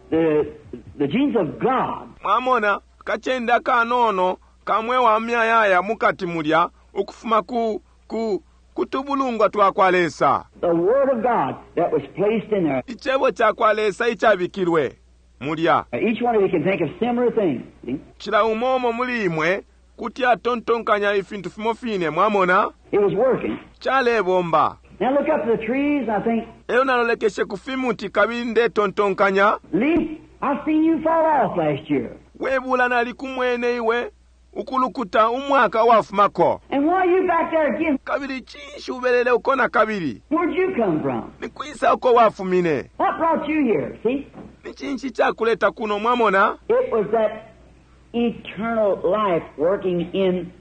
the genes of God. Mwamona kacende akanono kamwe wa myayaya mukati mulya ukufuma ku ku kutubulungwa twa kwa Lesa. The Word of God that was placed in there. Icebo ca kwa Lesa icabikilwe mulya. Each one of you can think of similar things. See? Cila umo umo muli imwe kuti atontonkanya ifintu fimo fine, mwamona? It was working. Calebomba. Now look up to the trees and I think, Elyo nalolekeshe ku fimuti kabili ndetontonkanya, Leaf, I seen you fall off last year. webula nalikumwene iwe ukulukuta umwaka wafumako. And why are you back there again? Kabili cinshi ubelele uko na kabili? Where'd you come from? Ni kwisa uko wafumine? What brought you here? See? Ni cinshi cakuleta kuno, mwamona? It was that eternal life working in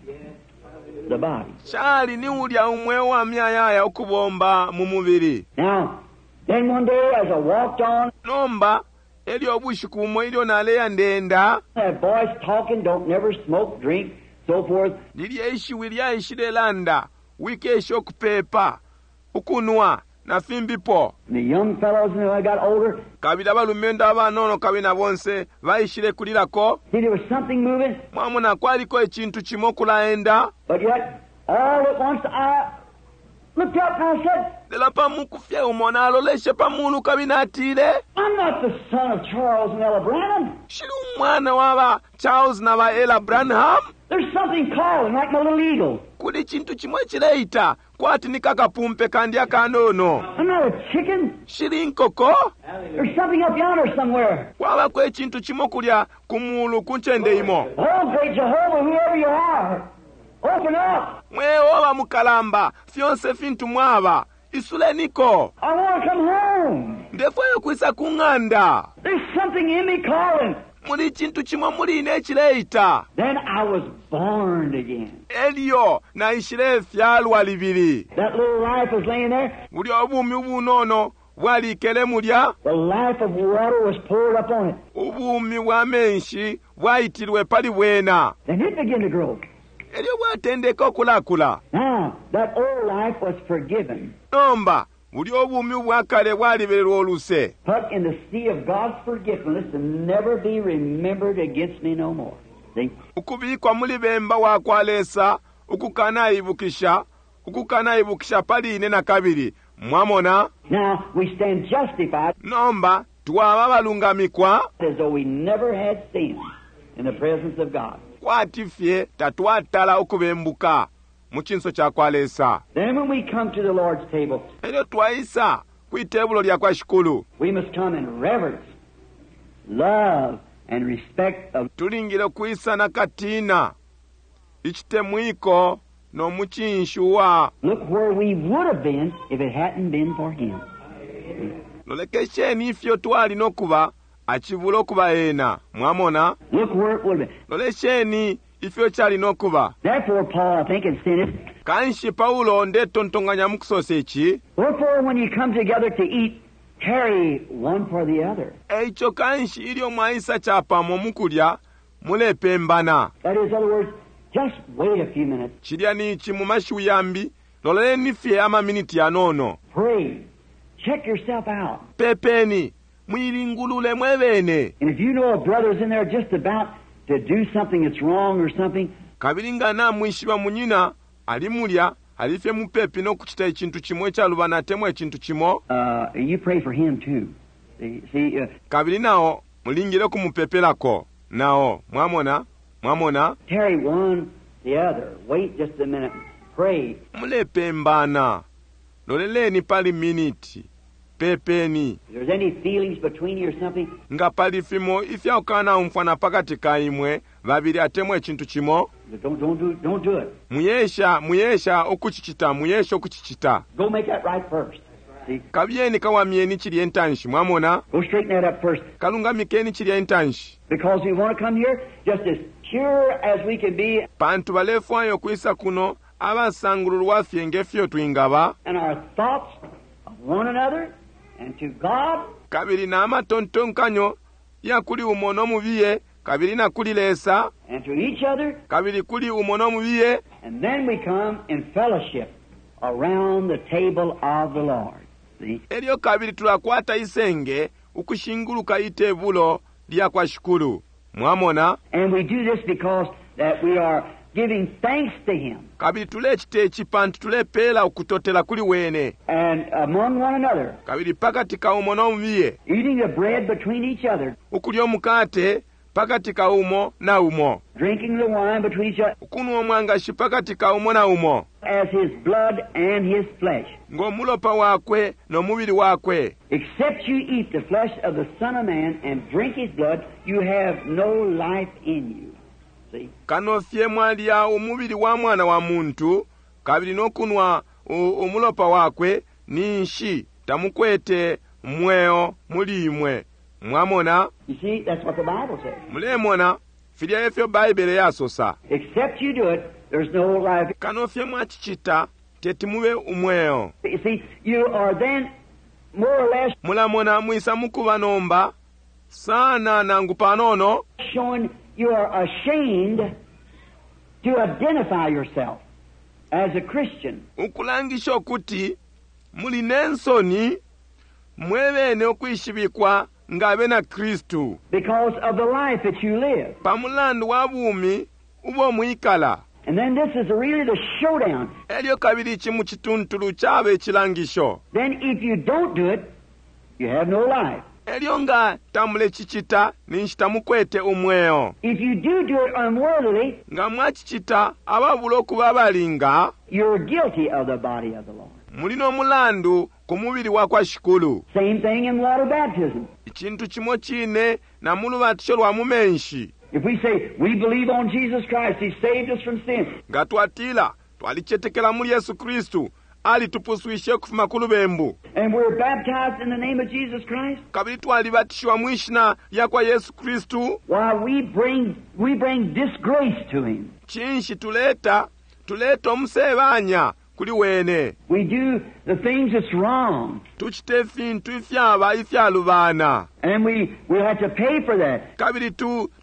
the body. Cali ni ulya umweo wa myayaya ukubomba mu mubili. Now, then one day as I walked on, Nomba elyo ubushiku bumo ilyo naleya ndenda, that voice talking, don't never smoke, drink, so forth. lilya ishiwi lyaishile landa, wikesha ukupepa, ukunwa na fimbipo. And the young fellows, and I got older, Kabili abalumendo abanono kabili na bonse baishile kulilako. see, there was something moving, Mwamona kwaliko icintu cimo kulaenda. but yet, all at once I looked up and I said, Lelo pa muku fye umo naloleshe pa mulu kabili natile, I'm not the son of Charles and Ella Branham. Shili umwana wa ba Charles na ba Ella Branham. There's something calling like my little eagle. Kuli cintu cimo cileita kwati ni kakapumpe kandi akanono. I'm not a chicken. Shili nkoko. There's something up yonder somewhere. Kwabako icintu cimo kulya ku mulu ku ncende imo. Oh, great Jehovah, whoever you are, open up. Mwe oba mukalamba, fyonse fintu mwaba, isuleniko. I want to come home. Ndefwayo kwisa ku ng'anda. There's something in me calling. Muli cintu cimo muli ine cileita. Then I was born again. Elyo naishile fyalwa libili. That little life was laying there. Bulya ubumi ubunono bwalikele mulya. The life of water was poured up on it. Ubumi bwa menshi bwaitilwe pali bwena. Then it began to grow. Elyo bwatendeka okulakula. Now, that old life was forgiven, Nomba bulya ubumi ubwakale bwalibelelwa oluse. put in the sea of God's forgiveness and never be remembered against me no more. See? Ukubikwa muli bemba wa kwa Lesa ukukanaibukisha, ukukanaibukisha pali ine na kabili. Mwamona? Now, we stand justified Nomba twaba abalungamikwa as though we never had sinned in the presence of God. kwati fye tatwatala ukubembuka mu cinso ca kwa Lesa. Then when we come to the Lord's table, Elyo twaisa kwi tebulo lya kwa Shikulu, we must come in reverence, love, and respect of tulingile ukwisa na katina, icitemwiko no mucinshi wa Look where we would have been if it hadn't been for Him. Lolekesheni ifyo twali nokuba acibula okuba ena. Mwamona? Look where it would have been. Lolesheni ifyo cali nokuba. Therefore, Paul, I think, in saying it, Kanshi Paulo ndetontonganya mu kusosa ici. Wherefore, when you come together to eat, tarry one for the other. Eico kanshi ilyo mwaisa capamo mu kulya, mulepembana. That is, in other words, just wait a few minutes. Cilya ni ici mu mashiwi yambi, loleleni fye amaminiti yanono. Pray. Check yourself out. Pepeni, mwilingulule mwe bene. And if you know a brother's in there just about to do something that's wrong or something, Kabili nga namwishiba munyina ali mulya, ali fye mupepi no kucita icintu cimo icalubana atemwa icintu cimo, you pray for him too. See, see, kabili nao mulingile kumupepelako. Nao, mwamona? Mwamona? tarry one the other. Wait just a minute. Pray. Mulepembana. Loleleni pali miniti. Pepeni. If there's any feelings between you or something, Nga pali fimo ifya kukanaumfwana pakati ka imwe babili atemwa icintu cimo, don't do it. muyesha, muyesha ukucicita, muyesha ukucicita. Go make that right first. See? Kabiyeni kawamyeni cilya intanshi, mwamona? Go straighten that up first. Kalungamikeni cilya intanshi. Because we want to come here just as pure as we can be. Pantu balefwaya ukwisa kuno Abasangululwa fye nge fyo twingaba. And our thoughts of one another and to God. Kabili na matontonkanyo ya kuli umo no mubiye, kabili na kuli Lesa. And to each other. Kabili kuli umo no mubiye. And then we come in fellowship around the table of the Lord. See? Elyo kabili tulakwata isenge ukushinguluka itebulo lya kwa Shikulu. Mwamona? And we do this because that we are giving thanks to Him. Kabili tulecita ici pantu tulepela ukutotela kuli wene. And among one another. Kabili pakati ka umo no mubiye. Eating the bread between each other. Ukulya umukate pakati ka umo na umo. Drinking the wine between each other. Ukunwa umwangashi pakati ka umo na umo. As his blood and his flesh. Ngo mulopa wakwe no mubili wakwe. Except you eat the flesh of the Son of Man and drink his blood, you have no life in you. See? Kano fye mwalya umubili wa mwana wa muntu kabili no kunwa umulopa wakwe, ninshi tamukwete mweo muli imwe. Mwamona? You see, that's what the Bible says. Mulemona, filya efyo Baibele yasosa. Except you do it, there's no life. Kano fye mwacicita, teti mube umweo. You see, you are then more or less Mulamona mwisa mukuba nomba sana nangu panono showing you are ashamed to identify yourself as a Christian. Ukulangisha ukuti muli nensoni mwebene ukwishibikwa nga abena Kristu. Because of the life that you live. Pa mulandu wa bumi ubo mwikala. And then this is really the showdown. Elyo kabili ici mu cituntulu caba icilangisho. Then if you don't do it, you have no life. Elyo nga tamulecicita, ninshi tamukwete umweo. If you do do it unworthily, nga mwacicita ababula ukuba abalinga, you're guilty of the body of the Lord. Muli no mulandu ku mubili wa kwa Shikulu. Same thing in water baptism. Icintu cimo cine na mu lubatisho lwa mu menshi. If we say we believe on Jesus Christ, He saved us from sin. Nga twatila twalicetekela muli Yesu Kristu, alitupuswishe ukufuma ku lubembu. And we're baptized in the name of Jesus Christ. Kabili twalibatishiwa mu ishina lya kwa Yesu Kristu. Why we bring disgrace to Him. Cinshi tuleta? Tuleta umusebanya kuli wene. We do the things that's wrong. Tucite fintu ifyaba ifyalubana. And we have to pay for that. Kabili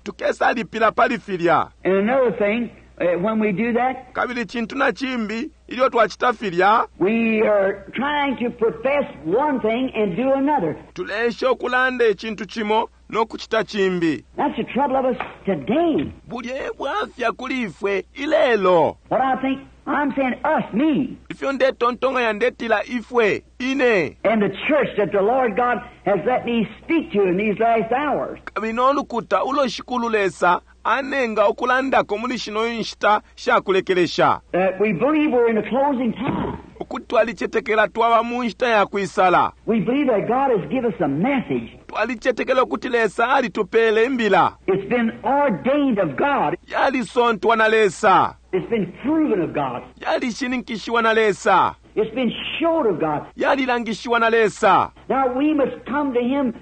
tukesalipila pali filya. And another thing, when we do that, kabili cintu na cimbi ilyo twacita filya, we are trying to profess one thing and do another. Tulesha ukulanda icintu cimo no kucita cimbi. That's the trouble of us today. Bulye bwafya kuli ifwe ilelo. What I think, I'm saying us, me. Ifyo ndetontonkanya ndetila ifwe, ine. And the church that the Lord God has let me speak to in these last hours. Kabili no lukuta ulo Shikulu Lesa anenga ukulandako muli shino inshita shakulekelesha. That we believe we're in the closing time. Ukuti twalicetekela twaba mu nshita ya kwisala. We believe that God has given us a message. Twalicetekela ukuti Lesa alitupele imbila. It's been ordained of God. Yalisontwa na Lesa. It's been proven of God. Yalishininkishiwa na Lesa. It's been showed of God. Yalilangishiwa na Lesa. Now we must come to Him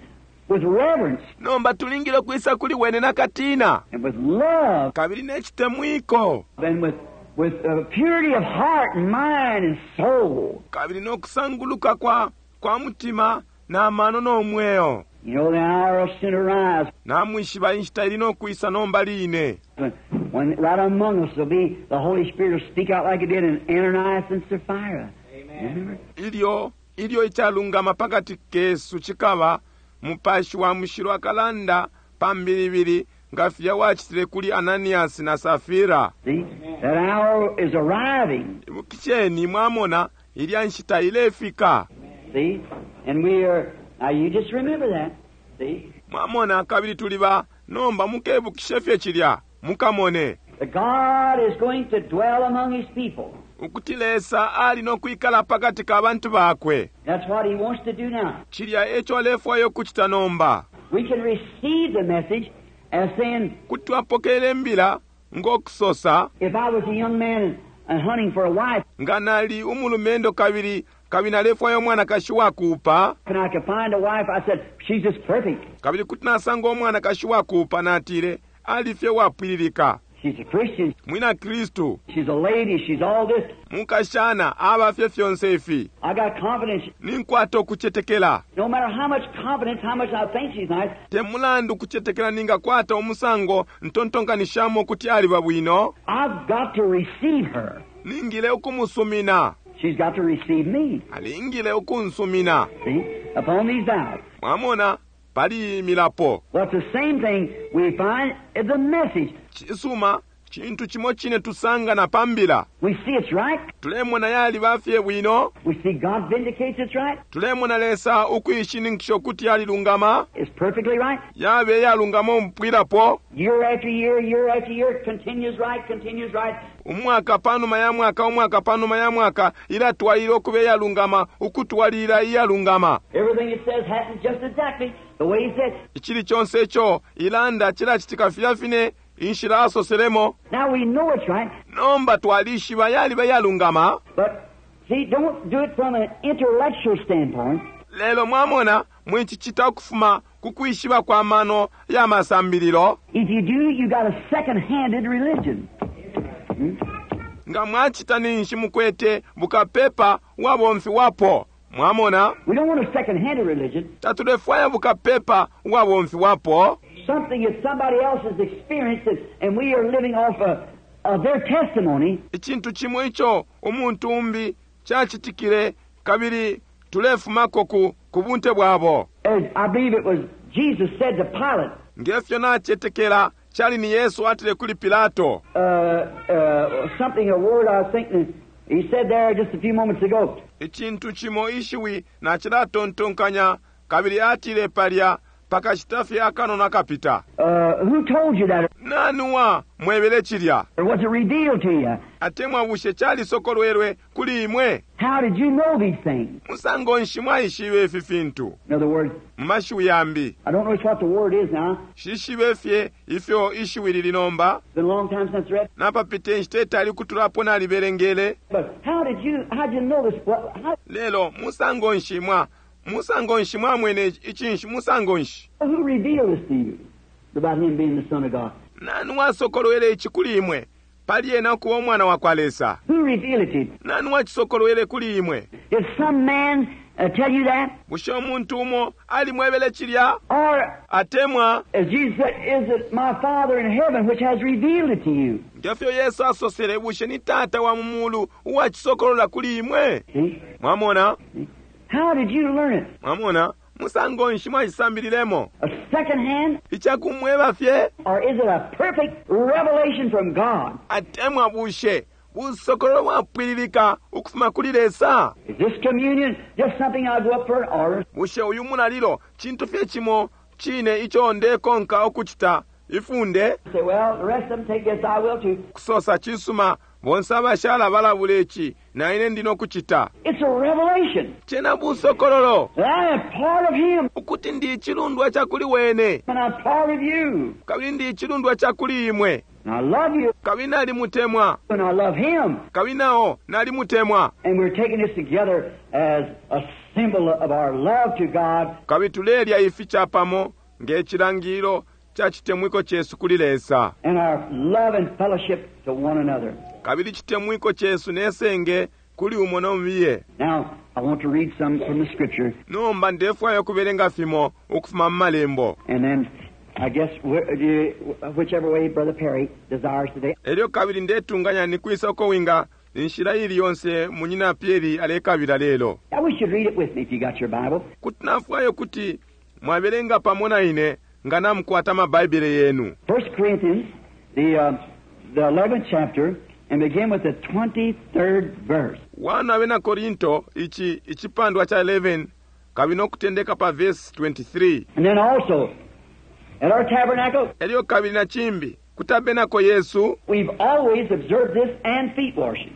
with reverence. Nomba tulingile kwisa kuli wene na katina. And with love. Kabili nechitemwiko. And with purity of heart and mind and soul. Kabili no kusanguluka kwa mutima na mano no mweo. You know the hour will soon arise. Namwishiba inshita ili no kwisa nomba line. When right among us will be the Holy Spirit will speak out like it did in Ananias and Sapphira. Amen. Ilyo icalungama pakati kesu chikaba mupashi wa mushilo akalanda pambilibili nga filya wacitile kuli Ananias na Safira. See, that hour is arriving. Ibukisheni mwamona ilya nshita ilefika. See, and we are now you just remember that. See? Mwamona kabili tuliba nomba mukebukishe fye chilya mukamone. God is going to dwell among His people. Ukuti Lesa ali no kwikala pakati ka bantu bakwe. That's what He wants to do now. Chilya echo alefwayo kuchita nomba. We can receive the message as saying, kuti twapokele mbila ngokusosa. If I was a young man and hunting for a wife, nga nali umulumendo kabili nalefwayo mwanakashi wakuupa. And I could find a wife, I said, she's just perfect. Kabili kuti nasanga umwanakashi wakuupa natile alifye wapwililika. She's a Christian. Mwina Kristu. She's a lady. She's all this. Mukashana aba fye fyonse ifi. I got confidence. Ninkwata ukucetekela. No matter how much confidence, how much I think she's nice, Te mulandu kucetekela ningakwata umusango ntontonkanishamo kuti aliba bwino. I've got to receive her. Ningile ukumusumina. She's got to receive me. Alingile ukunsumina. See? Upon these vows. Mwamona pali iyi milapo. Well, it's the same thing we find in the message. Cisuma cintu cimo cine tusanga na pambila. We see it's right. Tulemona yaliba fye bwino. We see God vindicates it's right. Tulemona Lesa ukuishininkisha ukuti yalilungama. It's perfectly right. Yabe yalungama umupwilapo. Year after year, year after year, it continues right, continues right. Umwaka panuma ya mwaka, umwaka panuma ya mwaka, ilatwalila ukuba iyalungama, ukutwalila iyalungama. Everything it says happens just exactly the way he said. Icili conse ico ilanda cilacitika filya fine inshila asoselemo. Now we know it's right, Nomba twalishiba yaliba iyalungama. but see, don't do it from an intellectual standpoint. Lelo mwamona mwicicita ukufuma ku kwishiba kwa mano ya masambililo. If you do, you got a second-handed religion. Nga mwacita ninshi mukwete bukapepa ubwabomfiwapo. Mwamona? We don't want a second-handed religion. Tatulefwaya bukapepa ubwabomfiwapo. Something that somebody else has experienced and, and we are living off of, of their testimony. Icintu cimo ico umuntu umbi cacitikile kabili tulefumako ku, ku bunte bwabo. As I believe it was Jesus said to Pilate, Ngefyo nacetekela cali ni Yesu atile kuli Pilato. Something, a word I was thinking, he said there just a few moments ago. Icintu cimo ishiwi nacilatontonkanya kabili atile palya pakashita fye akanono akapita. Who told you that? Nani wa mwebele cilya? Or was it revealed to you? Atemwa bushe calisokolwelwe kuli imwe? How did you know these things? Musango nshi mwaishibe ifi fintu? In other words, Mu mashiwi yambi, I don't know just what the word is now. shishibe fye ifyo ishiwi lili nomba. It's been a long time since I read. Napapita inshita itali kutulapo nalibelengele. But how did you, how did you know this? What, how, Lelo musango nshi mwa musango nshi mwamwene icinshi musango nshi? who revealed this to you about him being the Son of God? Nani wasokolwele ici kuli imwe? Pali ena ukuba umwana wa kwa Lesa. Who revealed it to you? Nani wacisokolwele kuli imwe? Did some man tell you that? Bushe umuntu umo alimwebele cilya? Or, Atemwa as Jesus said, is it my Father in heaven which has revealed it to you? ngefyo Yesu asosele, bushe ni Tata wa mu mulu uwacisokolola kuli imwe? See? Mwamona? See? How did you learn it? Mwamona? Musango nshi mwacisambililemo? A second hand? Icakumweba fye? Or is it a perfect revelation from God? Atemwa bushe busokololo bwapwililika ukufuma kuli Lesa? Is this communion just something I go up for an order? Bushe uyu mulalilo cintu fye cimo cine ico ndekonka ukucita ifunde? Say, well, the rest of them take this, I will too. Kusosa cisuma bonse abashala balabula ici na ine ndi nokucita. It's a revelation. Cena busokololo That I am part of Him ukuti ndi icilundwa ca kuli wene and I'm part of you. kabili ndi icilundwa ca kuli imwe And I love you kabili nalimutemwa and I love Him. kabili nao nalimutemwa And we're taking this together as a symbol of our love to God. kabili tulelya ifi capamo nge cilangililo ca citemwiko cesu kuli Lesa And our love and fellowship to one another. kabili citemwiko cesu nesenge kuli umo nomubiye. Now, I want to read some from the Scripture. Nomba ndefwaya ukubelenga fimo ukufuma mu malembo. And then, I guess, whichever way Brother Perry desires today. Elyo kabili ndetunganya ni kwisa uko winga inshila ili yonse munyina Perry alekabila lelo. I wish you'd read it with me if you got your Bible. Kuti nafwaya ukuti mwabelenga pamo na ine nga namukwata amabaibele yenu. 1 Corinthians, the 11th chapter, and begin with the 23rd verse. 1 Abena Korinto ici icipandwa ca 11 kabili nokutendeka pa verse 23. And then also, at our tabernacle, Elyo kabili na cimbi ku tabernacle yesu, we've always observed this and feet washing.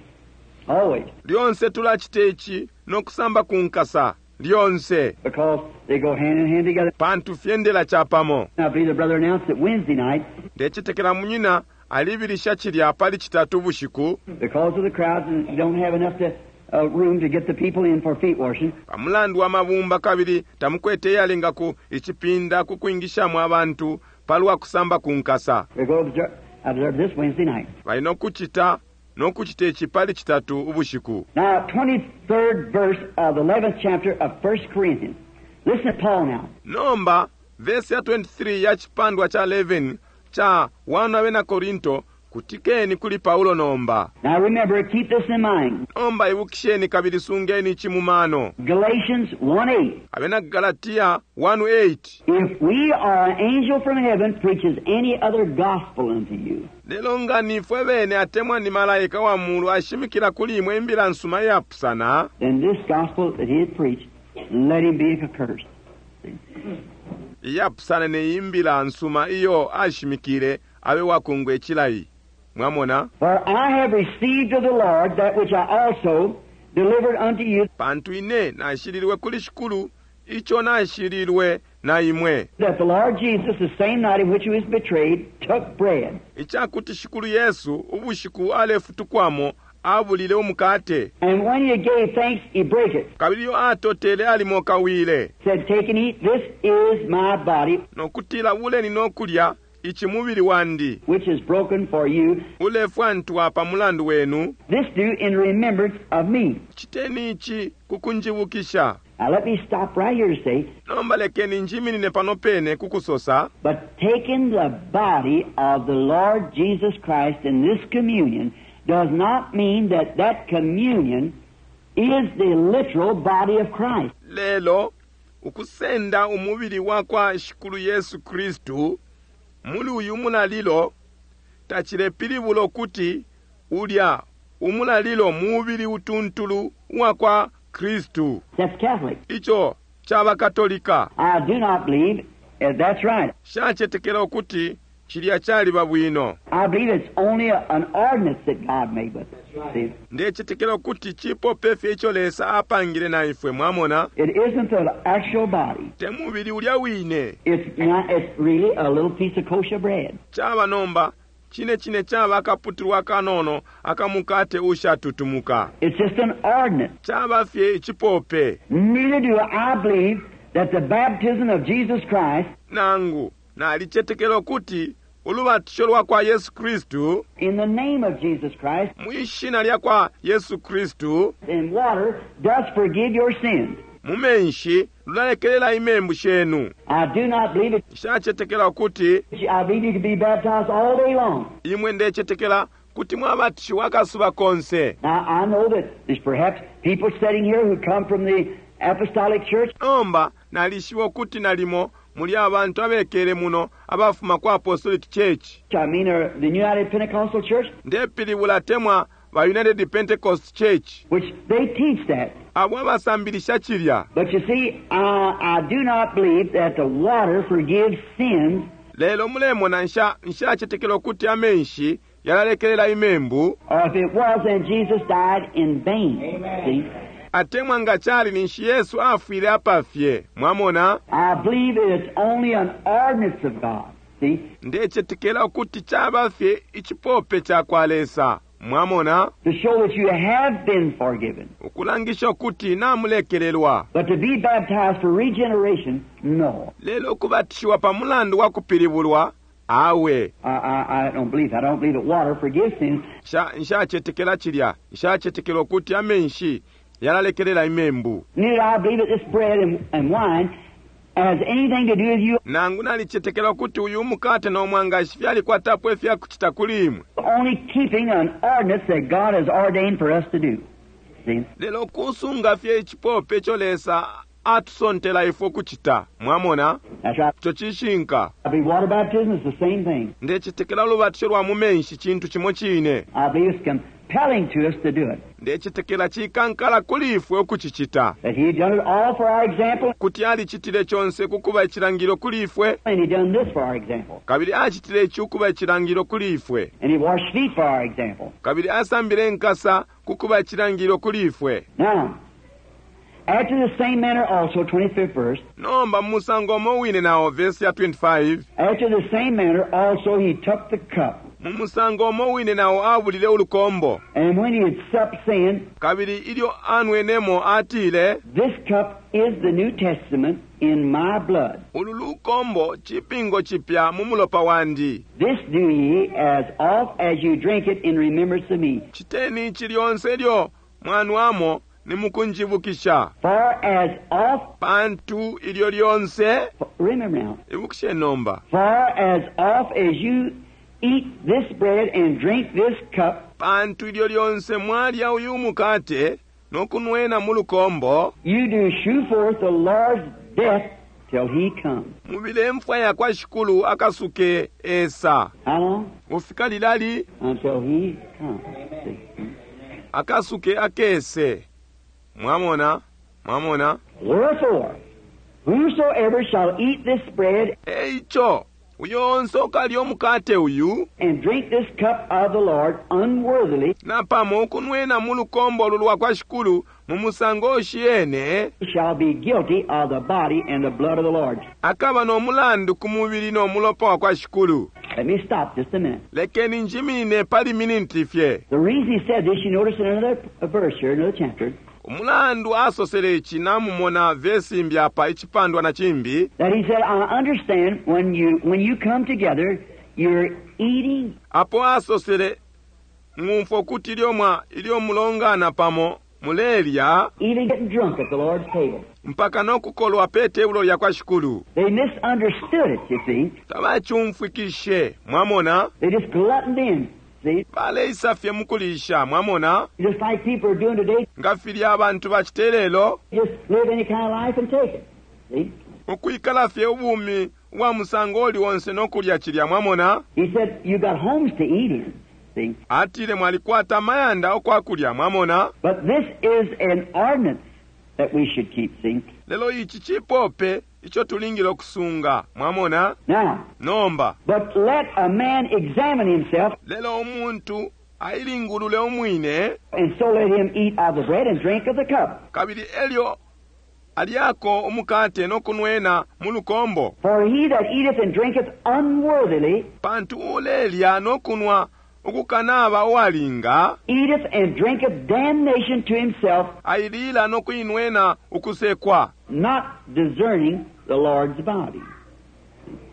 Always. Lyonse tulacita ici nokusamba ku nkasa. Lyonse. Because they go hand in hand together. Pantu fyendela capamo. I believe the brother announced it Wednesday night. Ndecetekela munyina alibilisha cilya pali citatu bushiku. Because of the crowds and don't have enough to room to get the people in for feet washing. Pamulandu wa mabumba kabili tamukwete yalenga ku icipinda ku kwingishamo abantu palwa kusamba ku nkasa. They go observe. Observe this Wednesday night. Bali nokucita nokucita ici pali Citatu ubushiku. Now, 23rd verse of the 11th chapter of 1 Corinthians. Listen to Paul now. Nomba vesi ya 23 ya chipandwa cha 11 cha 1 Abena Korinto, kutikeni kuli Paulo nomba. Now remember, keep this in mind. Nomba ibukisheni kabili sungeni ici mu mano. Galatians 1:8. Abena Galatia 1:8. If we or an angel from heaven preaches any other gospel unto you, Lelo nga nifwe bene atemwa ni malaika wa mulu ashimikila kuli imwe imbila nsuma iyapusana, then this gospel that he had preached, let him be accursed. iyapusana ne imbila nsuma iyo ashimikile, abe wakungwe chilayi. Mwamona? For I have received of the Lord that which I also delivered unto you, Pantu ine nashililwe kuli Shikulu, icho nashililwe na imwe. that the Lord Jesus, the same night in which he was betrayed, took bread. Ichakuti Shikulu Yesu ubushiku alefutukwamo abulile umukate. And when he gave thanks, he brake it. Kabili iyo atotele alimokawile. Said, Take and eat, this is my body, Nokutila buleni nokulya ichi mubili wandi. which is broken for you. Ulefwantwa pa mulandu wenu. This do in remembrance of me. Chiteni ichi kukunjibukisha. Now let me stop right here to say, Nomba lekeni njiminine pano pene kukusosa. but taking the body of the Lord Jesus Christ in this communion does not mean that that communion is the literal body of Christ. Lelo ukusenda umubili wa kwa Shikulu Yesu Kristu muli uyu mulalilo tachilepilibula ukuti ulya umulalilo mubili utuntulu wa kwa Kristu. That's Catholic. Icho chaba Katolika. I do not believe that's right. Shachetekela ukuti chilya chaliba bwino. I believe it's only an ordinance that God made with us. See? Ndechetekela ukuti chipope fye icho Lesa apangile na ifwe, mwamona? It isn't the actual body. Te mubili ulya wine. It's not, it's really a little piece of kosher bread. Chaba nomba chine chine chaba akaputulwa kanono akamukate ushatutumuka. It's just an ordinance. Chaba fye ichipope. Neither do I believe that the baptism of Jesus Christ Nangu nalichetekela ukuti ulubatisho lwa kwa Yesu Kristu in the name of Jesus Christ mwishina lya kwa Yesu Kristu in water does forgive your sins. mu menshi lulalekelela imembu shenu. I do not believe it. Nshachetekela ukuti I believe you can be baptized all day long. imwe ndechetekela kuti mwabatishiwa akasuba konse. Now, I know that there's perhaps people sitting here who come from the Apostolic Church. Nomba nalishiba ukuti nalimo muli abantu abekele muno abafuma ku Apostolic Church. I mean, the United Pentecostal Church, Ndepilibula temwa ba United Pentecost Church. which they teach that. Abo abasambilisha chilya. But you see, I do not believe that the water forgives sins. Lelo mulemona nshachetekela ukuti amenshi yalalekelela imembu. Or if it was, then Jesus died in vain. Amen. See? Atemwa nga chali ninshi Yesu afwile apafye. Mwamona? I believe it's only an ordinance of God. See? Ndechetekela ukuti chaba fye ichipope cha kwa Lesa. Mwamona? To show that you have been forgiven. Ukulangisha ukuti namulekelelwa. But to be baptized for regeneration, no. Lelo ukubatishiwa pa mulandu wa kupilibulwa, awe. I don't believe that. I don't believe that water forgives sins. Nshachetekela chilya. Nshachetekela ukuti amenshi yalalekelela imembu. Neither I believe that this bread and wine has anything to do with you. Nangu nalichetekela ukuti uyu mukate no mwangashi fyalikwatapo ifyakuchita kuli imwe. Only keeping an ordinance that God has ordained for us to do. See? Lelo kusunga fye ichipope icho Lesa atusontela ifwe kuchita. Mwamona? That's right. Icho chishinka. I believe water baptism is the same thing. Ndechetekela ulubatisho lwa mu menshi chintu chimo chine. I believe it's compelling to us to do it. Ndechetekela chikankala kuli ifwe ukuchichita. That he done it all for our example. Kuti alichitile chonse kukuba ichilangilo kuli ifwe. And he done this for our example. Kabili achitile ichi ukuba ichilangilo kuli ifwe. And he washed feet for our example. Kabili asambile nkasa kukuba ichilangilo kuli ifwe. Now, after the same manner also, 25th verse. Nomba musango omo wine nawo, verse ya 25. After the same manner also he took the cup. Mu musango umo wine nao abulile ulukombo. And when he had supped, saying, Kabili ilyo anwenemo atile, This cup is the New Testament in my blood. Ulu lukombo cipingo cipya mu mulopa wandi. This do ye as oft as you drink it in remembrance of me. Citeni ici lyonse ilyo mwanwamo ni mukunjibukisha. For as oft, Pantu ilyo lyonse, remember now, ibukishe nomba, for as oft as you eat this bread and drink this cup, pantu ilyo lyonse mwalya uyu mukate no kunwena mu lukombo, you do shew forth the Lord's death till he come. mubile mfwa yakwa Shikulu akasuke esa. How long? Ufika lilali Until he comes. See? akasuke akese. Mwamona, mwamona. Wherefore, whosoever shall eat this bread Eico, uyo onse ukalya umukate uyu, and drink this cup of the Lord unworthily napamo ukunwena mu lukombo lulwa kwa Shikulu mu musango ushiyene, shall be guilty of the body and the blood of the Lord. akaba no mulandu ku mubili no mulopa wa kwa Shikulu. Let me stop just a minute. Lekeni njimine pali miniti fye. The reason he said this, you notice in another verse here, another chapter, Umulandu asosele ici namumona vesi imbi apa icipandwa na cimbi, that he said, I understand when you come together, you're eating apo asosele ng'umfwa ukuti ilyo mulongana pamo mulelya even getting drunk at the Lord's table. mpaka no kukolwa pe tebulo lya kwa Shikulu. They misunderstood it, you see. Tabacumfwikishe, mwamona, They just gluttoned in, see. baleisa fye mukulisha, mwamona, Just like people are doing today, nga filya abantu bacite lelo, just live any kind of life and take it. See? ukwikala fye ubumi ubwa musango uli onse no kulya cilya, mwamona. He said, you got homes to eat in. See? Atile mwalikwata amayanda okwakulya, mwamona. But this is an ordinance that we should keep, see? Lelo ici cipope ico tulingile okusunga, mwamona. Now, Nomba, but let a man examine himself, lelo umuntu ailingulule umwine, and so let him eat of the bread and drink of the cup. kabili elyo alyako umukate no kunwena mu lukombo. For he that eateth and drinketh unworthily Pantu ulelya no kunwa ukukanaba uwalinga, eateth and drinketh damnation to himself, ailila no kuinwena ukusekwa. not discerning the Lord's body.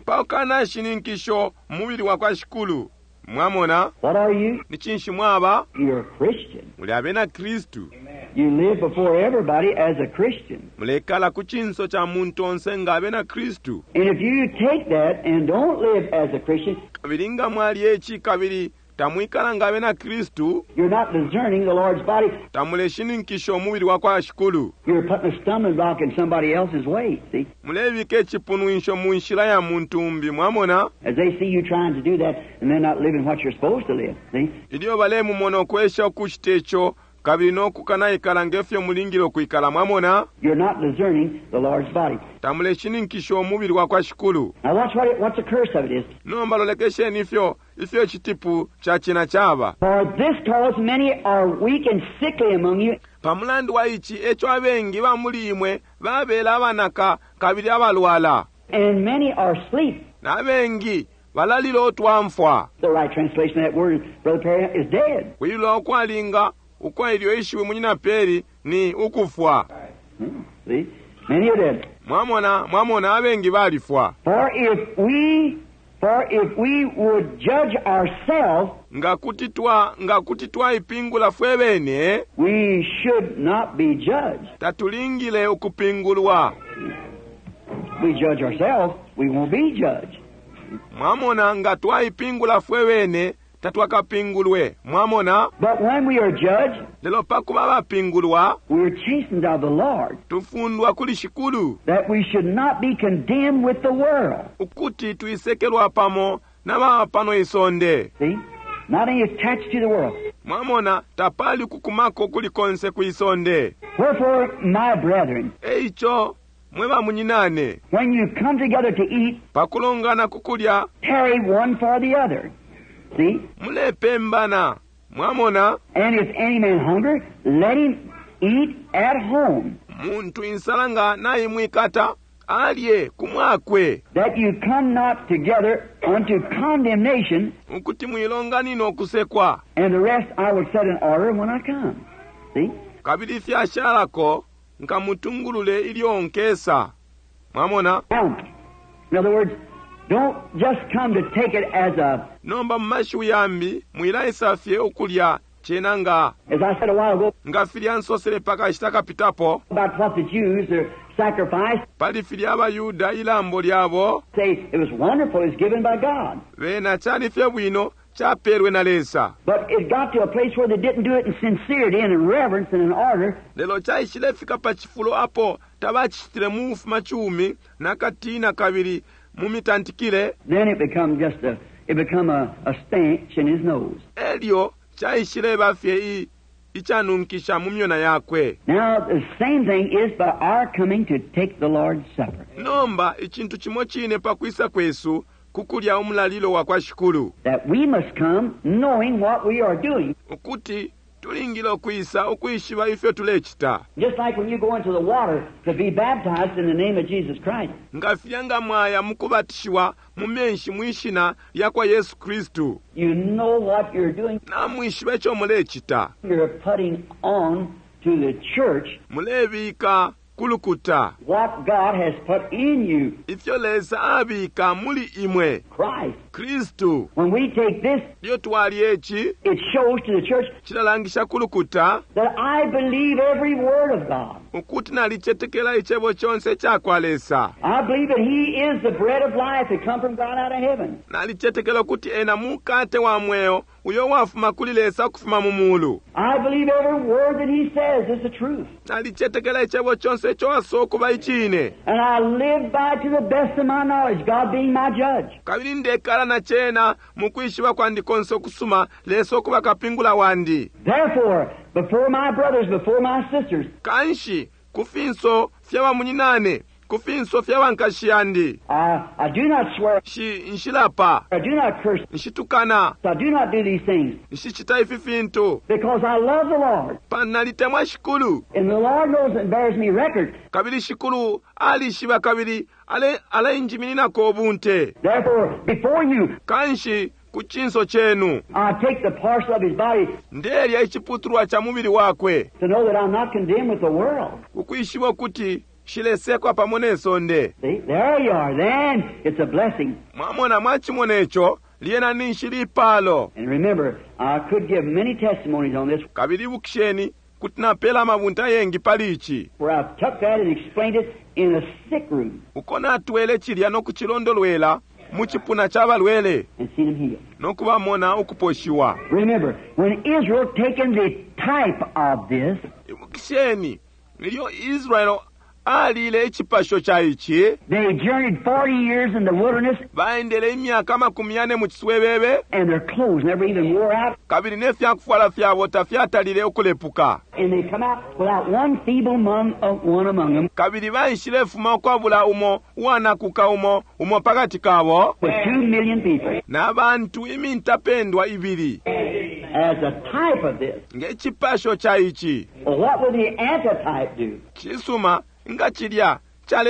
Paukana shininkisho mubili wa kwa Shikulu. Mwamona, What are you? ni cinshi mwaba? You're a Christian. Muli abena Kristu. You live before everybody as a Christian. Mulekala ku cinso ca muntu onse nga abena Kristu. And if you take that and don't live as a Christian, Kabili nga mwalya ici kabili tamwikala nga abena Kristu, you're not discerning the Lord's body. tamuleshininkisha umubili wa kwa Shikulu. You're putting a stumbling block in somebody else's way, see? Mulebika icipunwisho mu nshila ya muntu umbi, mwamona? As they see you trying to do that and they're not living what you're supposed to live, see? Ilyo balemumona ukwesha ukucita ico, kabili no kukanaikala ngefyo mulingile ukwikala, mwamona? You're not discerning the Lord's body. Tamuleshininkisha umubili wa kwa Shikulu. Now watch what the curse of it is. Nomba lolekesheni ifyo icitipu ca cina caba. For this cause many are weak and sickly among you, Pamulandu wa ici eco abengi ba muli imwe babela abanaka kabili abalwala, and many are asleep. na abengi balalila otwamfwa. The right translation of that word, Brother Perry, is dead. Kwilula ukwalinga ukwa ilyo ishiwi munyina Peri ni ukufwa. See? Many are dead. Mwamona, mwamona abengi balifwa. For if we would judge ourselves, Nga kuti twaipingula fwe bene, we should not be judged. tatulingile ukupingulwa. We judge ourselves, we won't be judged. Mwamona, nga twaipingula fwe bene, tatwakapingulwe. Mwamona? But when we are judged, Lelo pakuba bapingulwa, we are chastened of the Lord, tufundwa kuli Shikulu, that we should not be condemned with the world. ukuti twisekelwa pamo na baba pano isonde. See? Not any attached to the world. Mwamona, tapali kukumako kuli konse ku isonde. Wherefore, my brethren, Eico, mwe bamunyinane, when you come together to eat, pakulongana kukulya, tarry one for the other. See? mulepembana. Mwamona, And if any man hunger, let him eat at home. muntu insala nga naimwikata, Alye ku mwakwe. That you come not together unto condemnation, Ukuti mwilonganina ukusekwa. and the rest I will set in order when I come. See? Kabili ifyashalako nkamutungulule ilyo nkesa. Mwamona? Now, in other words, don't just come to take it as a, Nomba mu mashiwi yambi mwilaisa fye ukulya cena nga as I said a while ago, nga filya nsosele pakashita kapitapo about what the Jews, their sacrifice, pali filya abayuda ilambo lyabo say it was wonderful, it was given by God. bena cali fye bwino capelwe na Lesa. But it got to a place where they didn't do it in sincerity and in reverence and in order. Lelo caishilefika pa cifulo apo tabacitile mu bufumacumi na katina kabili mu mitantikile. Then it become just a, it become a stench in his nose. Elyo caishileba fye i, icanunkisha mu myona yakwe. Now the same thing is by our coming to take the Lord's Supper. Nomba icintu cimo cine pa kwisa kwesu ku kulya umulalilo wa kwa Shikulu. That we must come knowing what we are doing. Ukuti tulingile ukwisa ukwishiba ifyo tulecita. Just like when you go into the water to be baptized in the name of Jesus Christ. Nga filya nga mwaya mu kubatishiwa mu menshi mwi shina lya kwa Yesu Kristu. You know what you're doing. Namwishiba ico mulecita. You're putting on to the church Mulebika ku lukuta. what God has put in you, Ifyo Lesa abika muli imwe. Christ. Kristu. When we take this, Ilyo twalya ici, it shows to the church cilalangisha ku lukuta that I believe every word of God. ukuti nalicetekela icebo conse ica kwa Lesa. I believe that He is the bread of life that come from God out of heaven. Nalicetekela ukuti ena mukate wa mweo uyo wafuma kuli Lesa ukufuma mu mulu. I believe every word that He says is the truth. Nalicetekela icebo conse ico asosa ukuba icine. And I live by to the best of my knowledge, God being my judge. Kabili ndekala na cena mu kwishiba kwandi konse ukusuma, Lesa ukuba kapingula wandi. Therefore, before my brothers, before my sisters, Kanshi, ku finso fya bamunyinane, ku finso fya bankashi yandi, I do not swear, shi nshilapa, I do not curse, nshitukana, I do not do these things, nshicita ifi fintu, because I love the Lord. pantu nalitemwa Shikulu. And the Lord knows and bears me record. Kabili Shikulu alishiba kabili ale alenjimininako ubunte. Therefore, before you, Kanshi, ku cinso cenu, I take the parcel of his body ndelya iciputulwa ca mubili wakwe, to know that I'm not condemned with the world. ukwishiba ukuti shilesekwa pamo ne sonde. See, there you are. Then it's a blessing. Mwamona mwacimona ico, lyena ninshi lipalo. And remember, I could give many testimonies on this Kabili ibukisheni kuti napela amabunte ayengi pali ici. where I've took that and explained it in a sick room Uko natwele cilya no kucilondolwela mu cipuna ca balwele and seen them healed. no kubamona ukuposhiwa. Remember, when Israel taken the type of this, Ibukisheni ilyo Israel alile icipasho ca ici, they journeyed 40 years in the wilderness baendele imyaka 40 mu ciswebebe, and their clothes never even wore out, kabili ne fyakufwala fyabo tafyatalile ukulepuka. and they come out without one feeble among, one among them, Kabili baishilefuma ukwabula umo uwanakuka umo umo pakati kabo with 2 million people na bantu imintapendwa ibili as a type of this. nge cipasho ca ici. Well, what would the antitype do? Cisuma nga cilya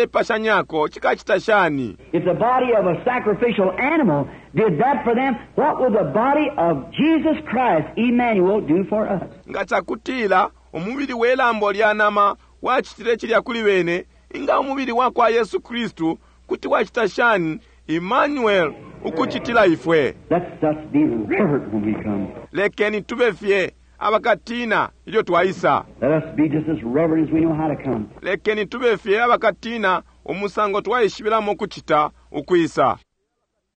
calepashanyako cikacita shani? If the body of a sacrificial animal did that for them, what would the body of Jesus Christ, Emmanuel, do for us? Nga cakutila umubili we lambo lya nama wacitile cilya kuli bene, inga umubili wa kwa Yesu Kristu kuti wacita shani Emmanuel ukucitila ifwe? Let us be reverent when we come. Lekeni tube fye abakatina ilyo twaisa. Let us be just as reverent as we know how to come. Lekeni tube fye abakatina umusango twaishibilamo kucita ukwisa.